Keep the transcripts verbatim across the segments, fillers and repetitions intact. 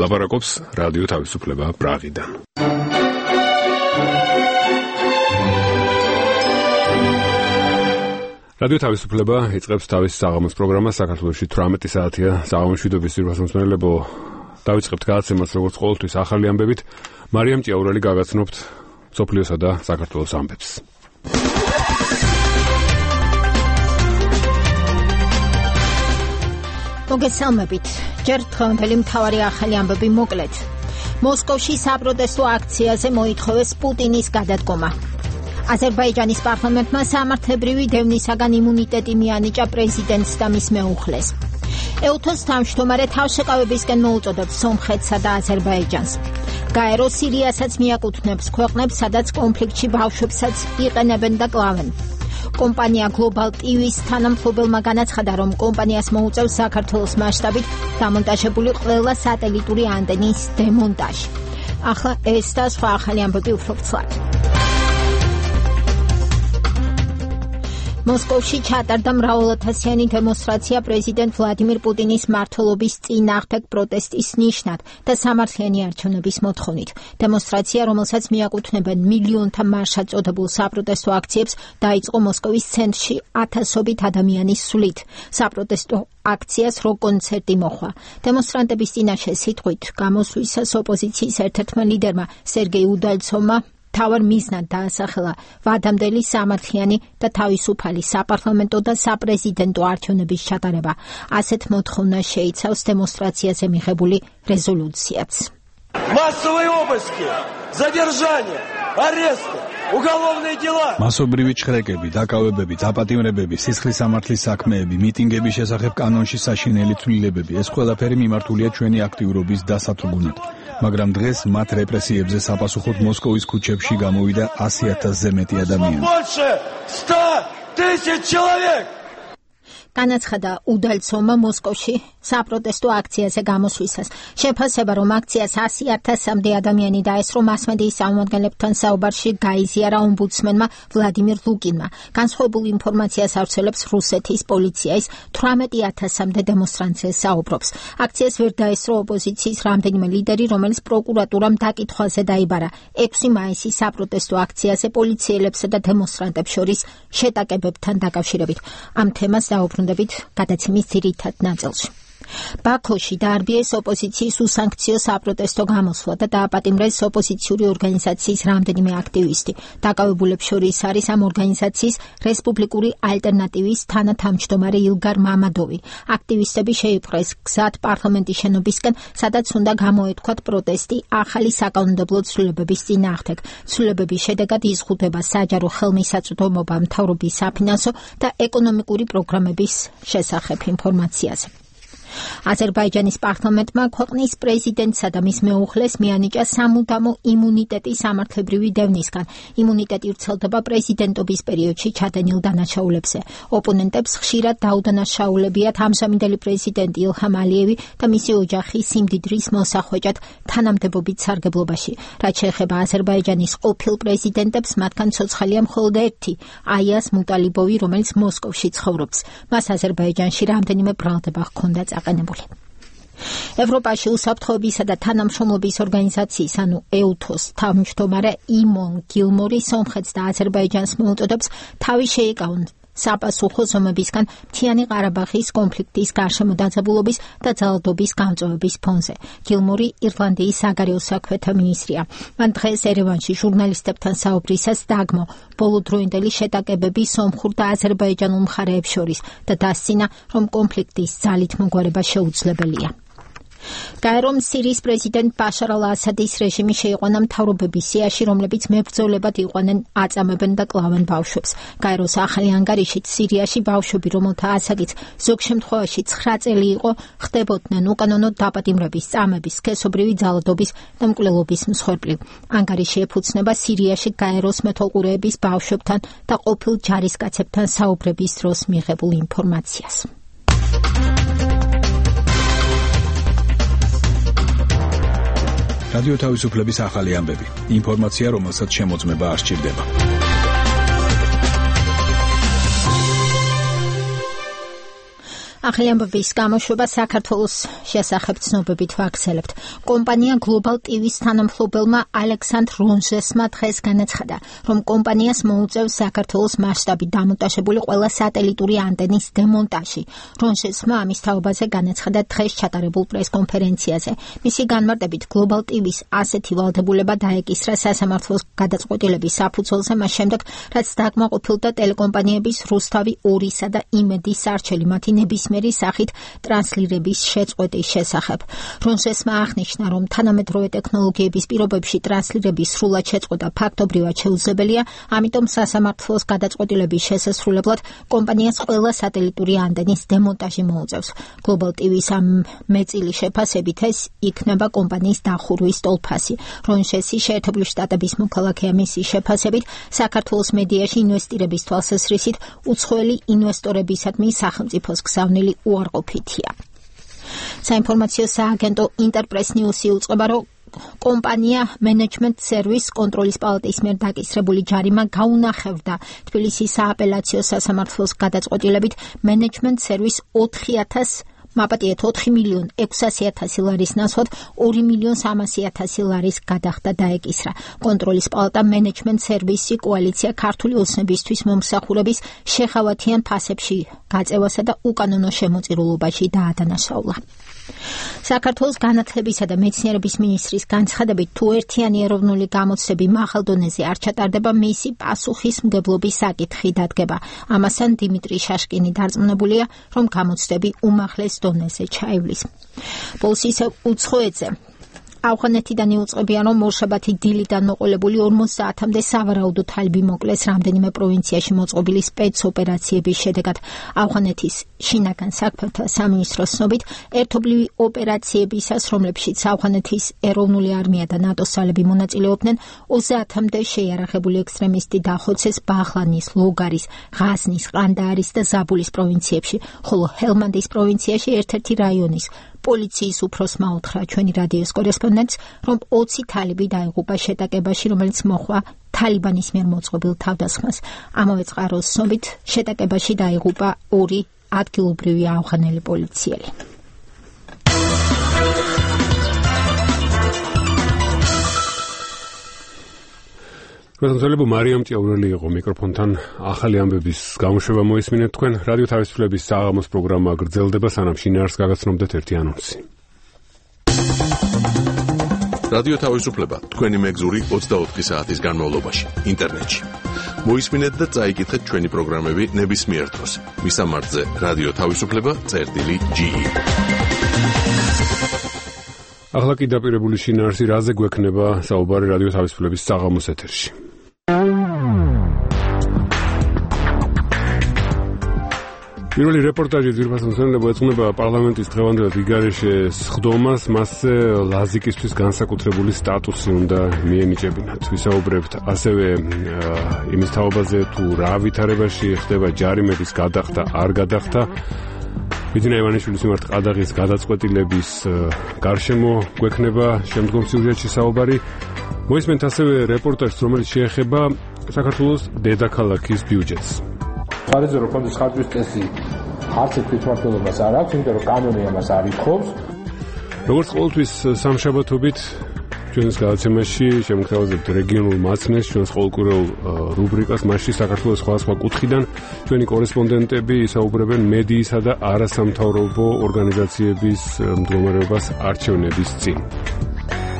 ლაპარაკობს რადიო თავისუფლება პრაღიდან. რადიო თავისუფლება იწყებს თავის საღამოს პროგრამას. საქართველოში თვრამეტი საათია საღამოს შვიდობის ძირფასმომცემელებო. დავიწყებთ გადაცემას როგორც ყოველთვის ახალი ამბებით. მარიამ ჭიაურელი გაგაცნობთ სოფლიოსა და საქართველოს ამბებს. მოგესალმებით. ჯერ დღევანდელი მთავარი ახალი ამბები მოკლედ. მოსკოვში საპროტესტო აქციაზე მოითხოვეს პუტინის გადადგომა. აზერბაიჯანის პარლამენტმა სამართლებრივი დევნისაგან იმუნიტეტი მიანიჭა პრეზიდენტს და მის მეუხლეს. ეუთოს თავმჯდომარე თავშეკავებისკენ მოუწოდებს სომხეთსა და აზერბაიჯანს. გაერო სირიასაც მიაკუთვნებს ქვეყნებს, სადაც კონფლიქტში ბავშვებსაც იყენებენ და კლავენ. კომპანია Global ტი ვის თანამფლობელმა განაცხადა, რომ კომპანიას მოუწევს საქართველოს მასშტაბით დამონტაჟებული ყველა სატელიტური ანტენის დემონტაჟი. ახლა ეს და სხვა ახალი ამბები უფრო ცალ. მოსკოვში ჩატარდა მრავალათასიანი დემონსტრაცია პრეზიდენტ ვლადიმირ პუტინის მმართველობის წინააღმდეგ პროტესტის ნიშნად და სამართლიანი არჩევნების მოთხოვნით. დემონსტრაცია, რომელსაც მიაკუთვნებენ მილიონთა მარშად წოდებულ საპროტესტო აქციებს, დაიწყო მოსკოვის ცენტრში ათასობით ადამიანის სვლით. საპროტესტო აქციას რო კონცერტი მოხდა. დემონსტრანტების წინაშე სიტყვით გამოსვლისას ოპოზიციის ერთ-ერთმა ლიდერმა სერგეი უდალცოვმა თავარ მიზნად დაასახელა ვადამდელი სამართლიანი და თავისუფალი საპარლამენტო და საპრეზიდენტო არჩევნების ჩატარება. ასეთ მოთხოვნას შეიცავს დემონსტრაციაზე მიღებული რეზოლუციაც. Массовые обыски, задержания, аресты, уголовные дела. მასობრივი ჩხრეკები, დაკავებები, დაპატიმრებები, სისხლის სამართლის საქმეები, მიტინგების შესახებ კანონში საშინელი ცვლილებები, ეს ყველაფერი მიმართულია ჩვენი აქტიურობის დასათრგუნად. მაგრამ დღეს მათ რეპრესიებზე საპასუხოდ მოსკოვის ქუჩებში გამოვიდა ასი ათასზე მეტი ადამიანი. განაცხადა უდალცოვმა მოსკოვში საპროტესტო აქციაზე გამოსვლისას. შეფასება, რომ აქციას ასი ათასამდე ადამიანი დაესწრო, მასმედიის წარმომადგენლებთან საუბარში გაიზიარა ომბუდსმენმა ვლადიმირ ლუკინმა. განსხვავებულ ინფორმაციას ავრცელებს რუსეთის პოლიცია, ის თვრამეტი ათასამდე დემონსტრანტზე საუბრობს. აქციას ვერ დაესწრო ოპოზიციის რამდენიმე ლიდერი, რომელიც პროკურატურამ დაკითხვაზე დაიბარა. ექვსი მაისის საპროტესტო აქციაზე პოლიციელებსა და დემონსტრანტებს შორის შეტაკებებთან დაკავშირებით. ამ თემას დაუბრუნდებით გადაცემის ძირითად ნაწილში. ბაქოში დაარბიეს ოპოზიციის უსანქციო საპროტესტო გამოსვლა და დააპატიმრეს ოპოზიციური ორგანიზაციის რამდენიმე აქტივისტი. დაკავებულებს შორის არის ამ ორგანიზაციის რესპუბლიკური ალტერნატივის თანათავმჯდომარე ილგარ მამადოვი. აქტივისტები შეიპყრეს გზად პარლამენტის შენობისკენ, სადაც უნდა გამოეთქვათ პროტესტი ახალი საკანონმდებლო ცვლილებების წინააღმდეგ. ცვლილებების შედეგად იზღუდება საჯარო ხელმისაწვდომობა მთავრობის საფინანსო და ეკონომიკური პროგრამების შესახებ ინფორმაციაზე. აზერბაიჯანის პარლამენტმა ქვეყნის პრეზიდენტსა და მის მეუხლეს მიანიჭა სამუდამო იმუნიტეტი სამართლებრივი დევნისგან. იმუნიტეტი ვრცელდება პრეზიდენტობის პერიოდში ჩადენილ დანაშაულებზე. ოპონენტებს ხშირად დაუდანაშაულებიათ ამჟამინდელი პრეზიდენტი ილჰამ ალიევი და მისი ოჯახი სიმდიდრის მოსახვეჭად თანამდებობით სარგებლობაში. რაც შეეხება აზერბაიჯანის ყოფილ პრეზიდენტებს, მათგან ცოცხალია მხოლოდ ერთი, აიას მუტალიბოვი, რომელიც მოსკოვში ცხოვრობს. მას აზერბაიჯანში რამდენიმე ბრალდება ჰქონდა აყენებული. ევროპაში უსაფრთხოებისა და თანამშრომლობის ორგანიზაციის, ანუ ეუთოს თავმჯდომარე იმონ გილმორი სომხეთს და აზერბაიჯანს მოუწოდებს თავი შეიკავონ საპასუხო ზომებისგან მთიანი ყარაბაღის კონფლიქტის გარშემო დაძაბულობის და ძალადობის გამწვევების ფონზე. გილმორი ირლანდიის საგარეო საქმეთა მინისტრია. მან დღეს ერევანში ჟურნალისტებთან საუბრისას დაგმო ბოლოდროინდელი შეტაკებები სომხურ და აზერბაიჯანულ მხარეებს შორის და დასცინა, რომ კონფლიქტის ძალით მოგვარება შეუძლებელია. გაერომ სირიის პრეზიდენტ ბაშარ ალ-ასადის რეჟიმი შეიყვანა მთავრობების სიაში, რომლებიც მებრძოლებად იყვანენ, აწამებენ და კლავენ ბავშვებს. გაეროს ახალი ანგარიშით სირიაში ბავშვები, რომელთა ასაკიც ზოგ შემთხვევაში ცხრა წელი იყო, ხდებოდნენ უკანონო დაპატიმრების, წამების, სქესობრივი ძალადობის და მკვლელობის მსხვერპლი. ანგარიში ეფუძნება სირიაში გაეროს მეთვალყურეების ბავშვებთან და ყოფილ ჯარისკაცებთან საუბრების დროს მიღებულ ინფორმაციას. რადიო თავისუფლების ახალი ამბები. ინფორმაცია, რომელსაც შემოწმება არ სჭირდება. ახალი ამბების გამოშვება საქართველოს შესახებ ცნობებით ვაგრძელებთ. კომპანია Global ტი ვის თანამფლობელმა ალექსანდრ რონჟესმა დღეს განაცხადა, რომ კომპანიას მოუწევს საქართველოს მასშტაბით დამონტაჟებული ყველა სატელიტური ანტენის დემონტაჟი. რონჟესმა ამის თაობაზე განაცხადა დღეს ჩატარებულ პრესკონფერენციაზე. მისი განმარტებით Global ტი ვის ასეთი ვალდებულება დაეკისრა სასამართლოს გადაწყვეტილების საფუძველზე მას შემდეგ, რაც დაკმაყოფილდა ტელეკომპანიების რუსთავი ორისა და იმედის არჩელი მათი ნებისმიერი სახით ტრანსლირების შეწყვეტის შესახებ. რონჟესმა აღნიშნა, რომ თანამედროვე ტექნოლოგიების პირობებში ტრანსლირების სრულად შეწყვეტა ფაქტობრივად შეუძლებელია, ამიტომ სასამართლოს გადაწყვეტილების შესასრულებლად კომპანიას ყველა სატელიტური ანტენის დემონტაჟი მოუწევს. Global ტი ვის ამ მეწილი შეფასებით ეს იქნება კომპანიის დახურვის ტოლფასი. რონჟესი შეერთებული შტატების მოქალაქეა, მისი შეფასებით საქართველოს მედიაში ინვესტირების თვალსაზრისით უცხოელი ინვესტორებისადმი სახელმწიფოს გზავნილი უარყოფითია. საინფორმაციო სააგენტო ინტერპრეს ნიუსი უწყება, რომ კომპანია Management Service კონტროლის პალატის მიერ დაკისრებული ჯარიმა გაუნახებდა თბილისის სააპელაციო სასამართლოს გადაწყვეტილებით Management Service ოთხი ათას მაპატიეთ ოთხი მილიონ ექვსასი ათასი ლარის ნაცვლად ორი მილიონ სამასი ათასი ლარის გადახდა დაეკისრა. კონტროლის პალატა Management Service კოალიცია ქართული ოცნებისთვის მომსახურების შეხავათიან ფასებში გაწევასა და უკანონო შემოწირულობაში დაადანაშაულა. საქართველოს განათლებისა და მეცნიერების მინისტრის განცხადებით, თუ ერთიანი ეროვნული გამოცდები მაღალ დონეზე არ ჩატარდება, მისი პასუხისმგებლობის საკითხი დადგება. ამასთან დიმიტრი შაშკინი დარწმუნებულია, რომ გამოცდები უმაღლეს დონეზე ჩაივლის. ბოლოს ისევ უცხოეთზე ავღანეთიდან იუწყებიან, რომ ორშაბათი დილიდან მოყოლებული ორმოცდაათამდე სავარაუდო თალბი მოკლეს რამდენიმე პროვინციაში მოწყობილი სპეცოპერაციების შედეგად. ავღანეთის შინაგან საქმეთა სამინისტროს ცნობით, ერთობლივი ოპერაციებისას, რომლებშიც ავღანეთის ეროვნული არმია და ნატოს ძალები მონაწილეობდნენ, ოცდაათამდე შეიარაღებული ექსტრემისტი დახოცეს ბაღლანის, ლოგარის, ღაზნის, ყანდაარის და ზაბულის პროვინციებში, ხოლო ჰელმანდის პროვინციაში ერთ-ერთი რაიონის პოლიციის უფროსმა უთხრა ჩვენი რადიოს კორესპონდენტს, რომ ოცი თალიბი დაიღუპა შეტაკებაში, რომელიც მოხდა თალიბანის მიერ მოწყობილ თავდასხმას. ამავე წყაროს ცნობით, შეტაკებაში დაიღუპა ორი ადგილობრივი ავღანელი პოლიციელი. გასამწვევი მარიამ ჭიაურელი იყო მიკროფონთან. ახალი ამბების გამოშვება მოისმინეთ თქვენ. რადიო თავისუფლების საღამოს პროგრამა გრძელდება, სანამ შინაარსს გაგაცნობდეთ ერთი ანონსი. რადიო თავისუფლება თქვენი მეგზური ოცდაოთხი საათის განმავლობაში ინტერნეტში. მოისმინეთ და წაიკითხეთ ჩვენი პროგრამები ნებისმიერ დროს. მისამართზე რადიო თავისუფლება წერტილი ჯი ი. ახლა კი დაპირებული შინაარსი, რაზე გვექნება საუბარი რადიო თავისუფლების საღამოს ეთერში. პირველი რეპორტაჟი ძირფას მოსწონებო ეძღვნება პარლამენტის დღევანდელ ვიგარეშეს ხდომას, მასზე ლაზიკისთვის განსაკუთრებული სტატუსი უნდა მიენიჭებინათ. ვისაუბრებთ ასევე იმის თაობაზე, თუ რა ვითარებაში ხდება ჯარიმების გადახდა, არ გადახდა. ბიძინა ივანიშვილის მიმართ ყადაღის გადაწყვეტილების გარშემო გვექნება შემდგომ სიუჟეტში საუბარი. მოისმენთ ასევე რეპორტაჟს, რომელიც შეეხება საქართველოს დედაქალაქის ბიუჯეტს. სარეზერვო ფონდის ხარჯვის წესი არც ერთ თვითმმართველობას არ აქვს, იმიტომ რომ კანონი ამას არ ითხოვს. როგორც ყოველთვის სამშაბათობით ჩვენს გადაცემაში შემოგთავაზებთ რეგიონულ მაცნეს, ჩვენს ყოველკვირეულ რუბრიკას, მასში საქართველოს სხვადასხვა კუთხიდან ჩვენი კორესპონდენტები ისაუბრებენ მედიისა და არასამთავრობო ორგანიზაციების მდგომარეობას არჩევნების წინ.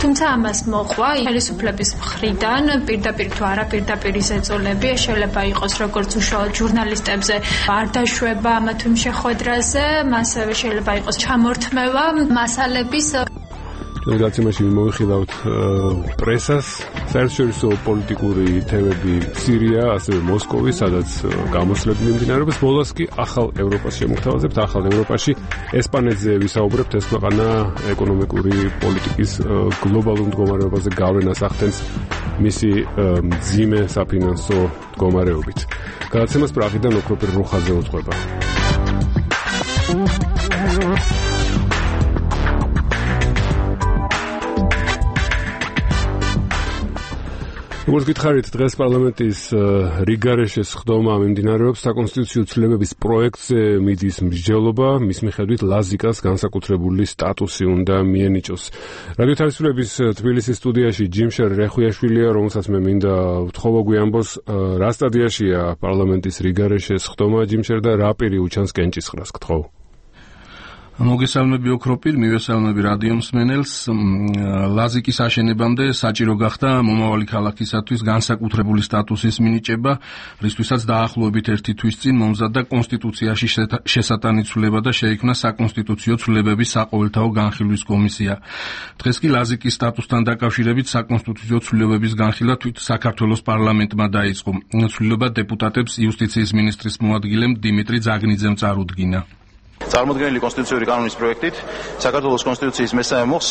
თუმცა ამას მოყვა ხელისუფლების მხრიდან პირდაპირ თუ არა პირდაპირ ზეწოლები, შეიძლება იყოს როგორც უშუალოდ ჟურნალისტებზე არ დაშვება ამა თუ იმ შეხვედრაზე, ასევე შეიძლება იყოს ჩამორთმევა მასალების. ჩვენ გადაცემაში მოვიხილავთ პრესას, საერთაშორისო პოლიტიკური თემები სირია, ასევე მოსკოვი, სადაც გამოსვლები მიმდინარეობს. ბოლოს კი ახალ ევროპას შემოგთავაზებთ. ახალ ევროპაში ესპანეთზე ვისაუბრებთ. ეს ქვეყანა ეკონომიკური პოლიტიკის გლობალურ მდგომარეობაზე გავლენას ახდენს მისი მძიმე საფინანსო მდგომარეობით. გადაცემას პრაღიდან ოქროპირ როხაზე უძღვება. როგორც გითხარით, დღეს პარლამენტის რიგარეშეს ხდომა მიმდინარეობს საკონსტიტუციო ცვლილებების პროექტზე მიდის მსჯელობა, მის მიხედვით ლაზიკას განსაკუთრებული სტატუსი უნდა მიენიჭოს. რადიო თავისუფლების თბილისის სტუდიაში ჯიმშერ რეხვიაშვილია, რომელსაც მე მინდა ვთხოვო გვიამბოს, რა სტადიაშია პარლამენტის რიგარეშეს ხდომა ჯიმშერ და რა პირი უჩანს კენჭისყრას გთხოვ. მოგესალმები ოქროპირ, მივესალმები რადიო მსმენელს. ლაზიკის აშენებამდე საჭირო გახდა მომავალი ქალაქისათვის განსაკუთრებული სტატუსის მინიჭება, რისთვისაც დაახლოებით ერთი თვის წინ მომზადდა კონსტიტუციაში შესატანი ცვლილება და შეიქმნა საკონსტიტუციო ცვლილებების საყოველთაო განხილვის კომისია. დღეს კი ლაზიკის სტატუსთან დაკავშირებით საკონსტიტუციო ცვლილებების განხილვა თვით საქართველოს პარლამენტმა დაიწყო. ცვლილება დეპუტატებს იუსტიციის მინისტრის მოადგილემ დიმიტრი ძაგნიძემ წარუდგინა. წარმოდგენილი კონსტიტუციური კანონის პროექტით საქართველოს კონსტიტუციის მესამე მოხს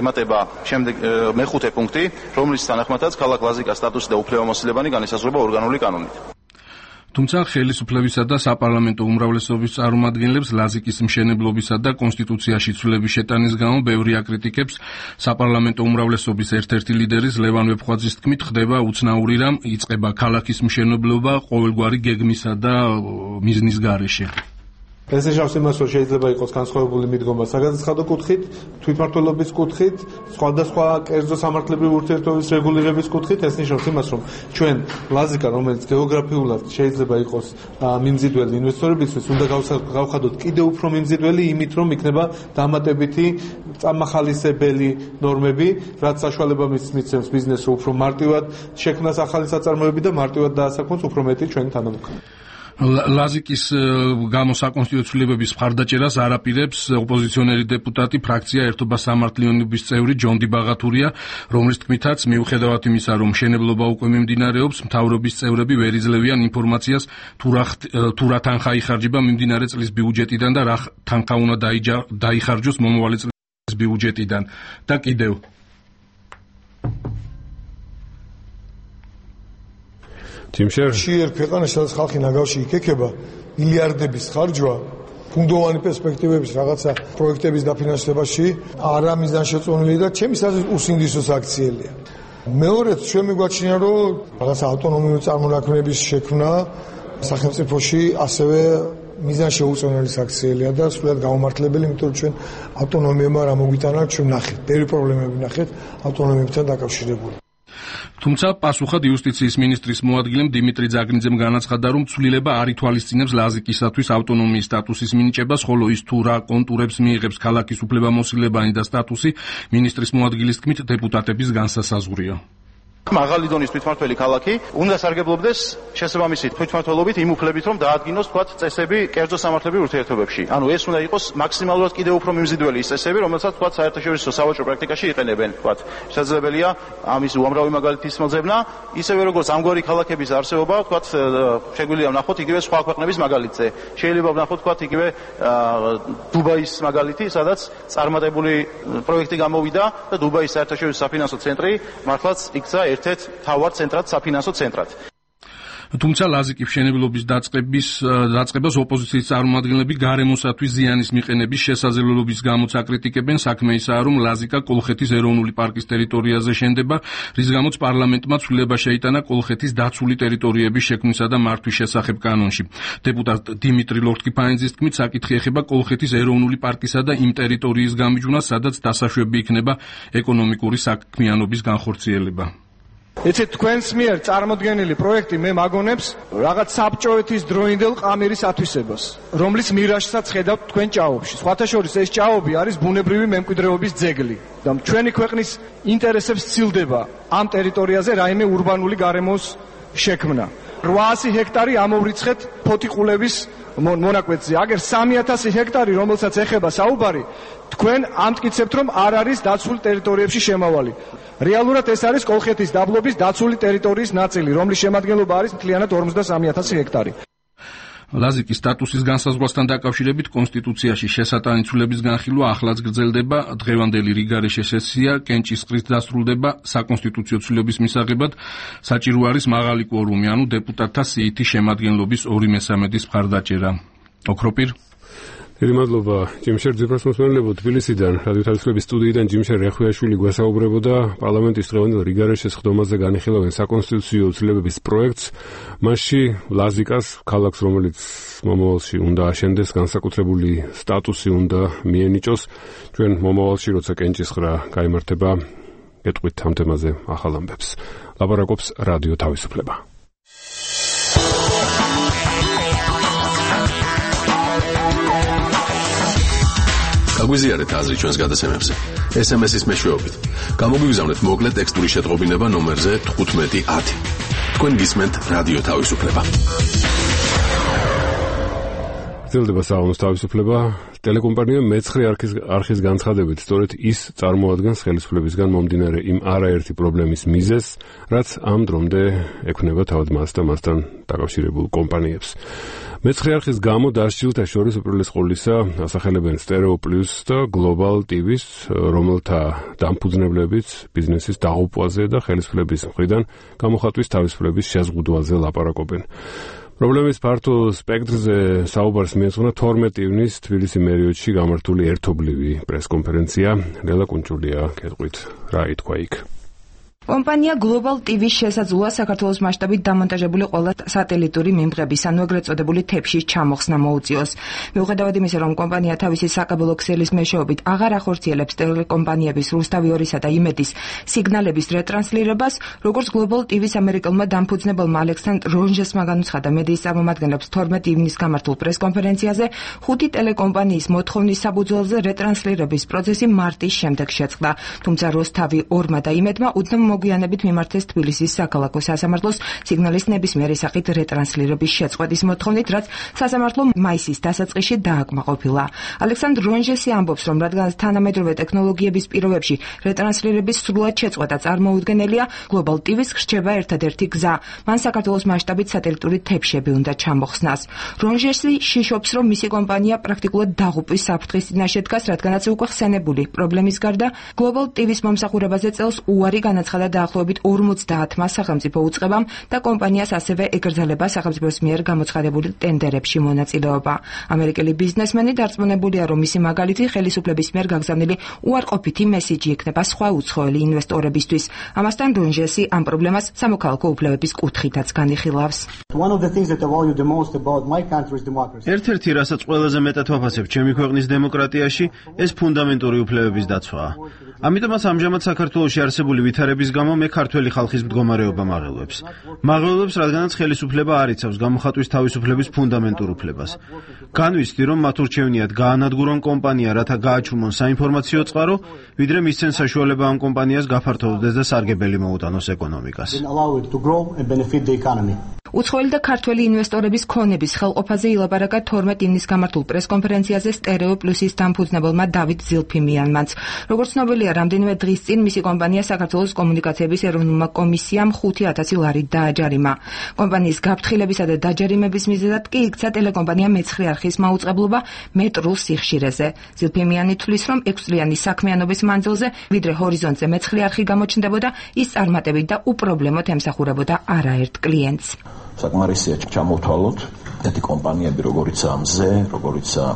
ემატება შემდეგ მეხუთე პუნქტი, რომლის თანახმადაც ქალაქ ლაზიკას სტატუსი და უფლებამოსილებანი განისაზღვრება ორგანული კანონით. თუმცა ხელისუფლებისა და საპარლამენტო უმრავლესობის წარმომადგენლებს ლაზიკის მშენებლობისა და კონსტიტუციაში ცვლილების შეტანის გამო ბევრი აკრიტიკებს. საპარლამენტო უმრავლესობის ერთ-ერთი ლიდერის ლევან ვეფხვაძის თქმით, ხდება უცნაური რამ იწყება ქალაქის მშენებლობა ყოველგვარი გეგმისა და მიზნის გარეშე. ეს ნიშნავს იმას, რომ შეიძლება იყოს განსხვავებული მიდგომა საგადასახადო კუთხით, თვითმმართველობის კუთხით, სხვადასხვა კერძო სამართლებრივი ურთიერთობების რეგულირების კუთხით. ეს ნიშნავს იმას, რომ ჩვენ ლაზიკა, რომელიც გეოგრაფიულად შეიძლება იყოს მიმზიდველი ინვესტორებისთვის, უნდა გავხადოთ კიდევ უფრო მიმზიდველი იმით, რომ იქნება დამატებითი წამახალისებელი ნორმები, რაც საშუალება მისცემს ბიზნესს უფრო მარტივად შექმნას ახალი საწარმოები და მარტივად დაასაქმოს უფრო მეტი ჩვენი თანამოქმედი. ლაზიკის გამო საკონსტიტუციო ცვლილებების მხარდაჭერას არ აპირებს ოპოზიციონერი დეპუტატი ფრაქცია ერთობა სამართლიანობის წევრი ჯონდი ბაღათურია, რომლის თქმითაც მიუხედავად იმისა, რომ მშენებლობა უკვე მიმდინარეობს, მთავრობის წევრები ვერ იძლევიან ინფორმაციას თუ რა თანხა იხარჯება მიმდინარე წლის ბიუჯეტიდან და რა თანხა უნდა დაიხარჯოს მომავალი წლის ბიუჯეტიდან და კიდევ ჯერ ქვეყანაში სადაც ხალხი ნაგავში იქექება, მილიარდების ხარჯვა ფუნდოვანი პერსპექტივების რაღაცა პროექტების დაფინანსებაში არა მიზანშეწონილი და ჩემი აზრით უსინდისოს აქციელია. მეორედ ჩვენ მიგვაჩნია, რომ რაღაცა ავტონომიური წარმონაქმნების შექმნა სახელმწიფოში ასევე მიზანშეუწონელი აქციელია და სულად გაუმართლებელი, იმიტომ რომ ჩვენ ავტონომიებმა რა მოგვიტანა, ჩვენ ნახეთ, ბევრი პრობლემები ნახეთ ავტონომიებთან დაკავშირებული. თუმცა პასუხად იუსტიციის მინისტრის მოადგილემ დიმიტრი ძაგნიძემ განაცხადა, რომ ცვლილება არ ითვალისწინებს ლაზიკისათვის ავტონომიის სტატუსის მინიჭებას, ხოლო ის თუ რა კონტურებს მიიღებს ქალაქის უფლებამოსილებანი და სტატუსი, მინისტრის მოადგილის თქმით, დეპუტატების განსასაზღვრია. მაღალი დონის თვითმმართველი ქალაქი უნდა სარგებლობდეს შესაბამისი თვითმმართველობით იმ უფლებით, რომ დაადგინოს თქვათ წესები კერძო სამართლებრივ ურთიერთობებში. ანუ ეს უნდა იყოს მაქსიმალურად კიდევ უფრო მიმზიდველი ის წესები, რომელსაც თქვათ საერთაშორისო სავაჭრო პრაქტიკაში იყენებენ. თქვათ შესაძლებელია ამის უამრავი მაგალითის მოძებნა, ისევე როგორც ამგვარი ქალაქების არსებობა, თქვათ შეგვიძლია ვნახოთ იგივე სხვა ქვეყნების მაგალითზე. შეიძლება ვნახოთ თქვათ იგივე დუბაის მაგალითი, სადაც წარმატებული პროექტი გამოვიდა და დუბაის საერთაშორისო საფინანსო ცენტრი მართლაც იქცა ერთ-ერთ თავარ ცენტრად, საფინანსო ცენტრად. თუმცა ლაზიკის მშენებლობის დაწყების დაწყებას ოპოზიციის წარმომადგენლები გარემოსათვის ზიანის მიყენების შესაძლებლობის გამოც აკრიტიკებენ. საქმე ისაა, რომ ლაზიკა კოლხეთის ეროვნული პარკის ტერიტორიაზე შენდება, რის გამოც პარლამენტმა ცვლილება შეიტანა კოლხეთის დაცული ტერიტორიების შექმნისა და მართვის შესახებ კანონში. დეპუტატ დიმიტრი ლორთქიფანიძის თქმით, საკითხი ეხება კოლხეთის ეროვნული პარკისა და იმ ტერიტორიის გამიჯვნას, სადაც დასაშვები იქნება ეკონომიკური საქმიანობის განხორციელება. ეცეთ თქვენს მიერ წარმოდგენილი პროექტი მე მაგონებს რაღაც საბჭოეთის დროინდელ ყამირის ათვისებას, რომლის მირაჟსაც ხედავთ თქვენ ჭაობში. სხვათა შორის ეს ჭაობი არის ბუნებრივი მემკვიდრეობის ძეგლი და ჩვენი ქვეყნის ინტერესებს სცილდება ამ ტერიტორიაზე რაიმე ურბანული გარემოს შექმნა. რვაასი ჰექტარი ამოვრიცხეთ ფოთიყულების მონაკვეთზე. აგერ სამი ათასი ჰექტარი, რომელსაც ეხება საუბარი, თქვენ ამტკიცებთ, რომ არ არის დაცულ ტერიტორიებში შემავალი. რეალურად ეს არის კოლხეთის დაბლობის დაცული ტერიტორიის ნაწილი, რომლის შემადგენლობა არის მთლიანად ორმოცდასამი ათასი ჰექტარი. ლაზიკის სტატუსის განსაზღვრასთან დაკავშირებით კონსტიტუციაში შესატანი ცვლილების განხილვა ახლაც გრძელდება. დღევანდელი რიგარეშე სესია კენჭისყრით დასრულდება. საკონსტიტუციო ცვლილების მისაღებად საჭირო არის მაღალი კვორუმი, ანუ დეპუტატთა სიითი შემადგენლობის ორი მესამედის მხარდაჭერა. ოქროპირ დიდი მადლობა ჯიმშერ ძიფრას მოსმენელებო თბილისიდან რადიო თავისუფლების სტუდიიდან ჯიმშერ რეხვიაშვილი გვესაუბრებოდა პარლამენტის დღევანდელ რიგარეშეს ხდომაზე განიხილავენ საკონსტიტუციო ცვლილებების პროექტს მასში ლაზიკას ქალაქს რომელიც მომავალში უნდა აშენდეს განსაკუთრებული სტატუსი უნდა მიენიჭოს ჩვენ მომავალში როცა კენჭისყრა გაიმართება გეტყვით ამ თემაზე ახალ ამბებს ლაპარაკობს რადიო თავისუფლება გაგვიზიარეთ აზრი ჩვენს გადაცემებზე ეს ემ ეს-ის მეშვეობით გამოგვიგზავნეთ მოკლე ტექსტური შეტყობინება ნომერზე თხუთმეტი ათი თქვენ გისმენთ რადიო თავისუფლება გრძელდება საღამოს თავისუფლება ტელეკომპანია მეცხრე არქის არხის განცხადებით სწორედ ის წარმოადგენს ხელისუფლებისგან მომდინარე იმ არაერთი პრობლემის მიზეზს რაც ამ დრომდე ექნება თავად მას და მასთან დაკავშირებულ კომპანიებს მეცხრე არხის გამო დასჯილთა შორის უპირველეს ყოვლისა ასახელებენ სტერეო პლუს და გლობალ ტივის რომელთა დამფუძნებლებიც ბიზნესის დაღუპვაზე და ხელისუფლების მხრიდან გამოხატვის თავისუფლების შეზღუდვაზე ლაპარაკობენ პრობლემის ფართო სპექტრზე საუბარს მიეძღვნა თორმეტი ივნის თბილისი მერიოდში გამართული ერთობლივი პრესკონფერენცია ლელა კუნჭულია გეტყვით რა ითქვა იქ კომპანია Global ტივის შესაძლოა საქართველოს მასშტაბით დამონტაჟებული ყველა სატელიტური მიმღების, ანუ ეგრეთ წოდებული თეფშის ჩამოხსნა მოუწიოს. მიუხედავად იმისა, რომ კომპანია თავისი საკაბელო ქსელის მეშვეობით აღარ ახორციელებს ტელეკომპანიების რუსთავი ორისა და იმედის სიგნალების რეტრანსლირებას, როგორც Global ტივის ამერიკელმა დამფუძნებელმა ალექსანდრ რონჟესმა განუცხადა მედიის წარმომადგენლებს თორმეტი ივნის გამართულ პრესკონფერენციაზე, ხუთი ტელეკომპანიის მოთხოვნის საფუძველზე რეტრანსლირების პროცესი მარტის შემდეგ შეწყდა. თუმცა რუსთავი ორმა და იმედმა უდნამ მოგვიანებით მიმართეს თბილისის საქალაქო სასამართლოს სიგნალის ნებისმიერი სახით რეტრანსლირების შეწყვეტის მოთხოვნით, რაც სასამართლო მაისის დასაწყისში დააკმაყოფილა. ალექსანდრ რონჟესი ამბობს, რომ რადგან თანამედროვე ტექნოლოგიების პირობებში რეტრანსლირების სრულად შეწყვეტა წარმოუდგენელია, Global ტივის რჩება ერთადერთი გზა. მან საქართველოს მასშტაბით სატელიტური თეფშები უნდა ჩამოხსნას. რონჟესი შიშობს, რომ მისი კომპანია პრაქტიკულად დაღუპვის საფრთხის წინაშე დგას, რადგანაც უკვე ხსენებული პრობლემის გარდა Global ტივის მომსახურებაზე წელს უარი განაცხადა დაახლოებით ორმოცდაათმა სახელმწიფო უწყებამ და კომპანიას ასევე ეკრძალება სახელმწიფოს მიერ გამოცხადებული ტენდერებში მონაწილეობა. ამერიკელი ბიზნესმენი დარწმუნებულია, რომ მისი მაგალითი ხელისუფლების მიერ გაგზავნილი უარყოფითი მესიჯი იქნება სხვა უცხოელი ინვესტორებისთვის. ამასთან რონჟესი ამ პრობლემას სამოქალაქო უფლებების კუთხითაც განიხილავს. ერთ-ერთი, რასაც ყველაზე მეტად ვაფასებ ჩემი ქვეყნის დემოკრატიაში, ეს ფუნდამენტური უფლებების დაცვაა. ამიტომაც ამჟამად საქართველოში არსებული ვითარების გამო მე ქართველი ხალხის მდგომარეობა მაღელვებს. მაღელვებს, რადგანაც ხელისუფლება არ იცავს გამოხატვის თავისუფლების ფუნდამენტურ უფლებას. განვიცდი, რომ მათ ურჩევნიათ გაანადგურონ კომპანია, რათა გააჩუმონ საინფორმაციო წყარო, ვიდრე მისცენ საშუალება ამ კომპანიას გაფართოვდეს და სარგებელი მოუტანოს ეკონომიკას. უცხოელი და ქართველი ინვესტორების ქონების ხელყოფაზე ილაპარაკა თორმეტი ივნის გამართულ პრესკონფერენციაზე სტერეო პლუსის დამფუძნებელმა დავით ზილფიმიანმაც. როგორც ცნობილია, რამდენიმე დღის წინ მისი კომპანია საქართველოს კომუნიკაციების ეროვნულმა კომისიამ ხუთი ათასი ლარი დააჯარიმა. კომპანიის გაფრთხილებისა და დაჯარიმების მიზეზად კი იქცა ტელეკომპანია მეცხრე არხის მაუწყებლობა მეტრულ სიხშირეზე. ზილფიმიანი თვლის, რომ ექვსწლიანი საქმიანობის მანძილზე, ვიდრე ჰორიზონტზე მეცხრე არხი გამოჩნდებოდა, ის წარმატებით და უპრობლემოდ ემსახურებოდა არაერთ კლიენტს. საკმარისია ჩამოვთვალოთ ერთი კომპანიები, როგორიცაა მზე, როგორიცაა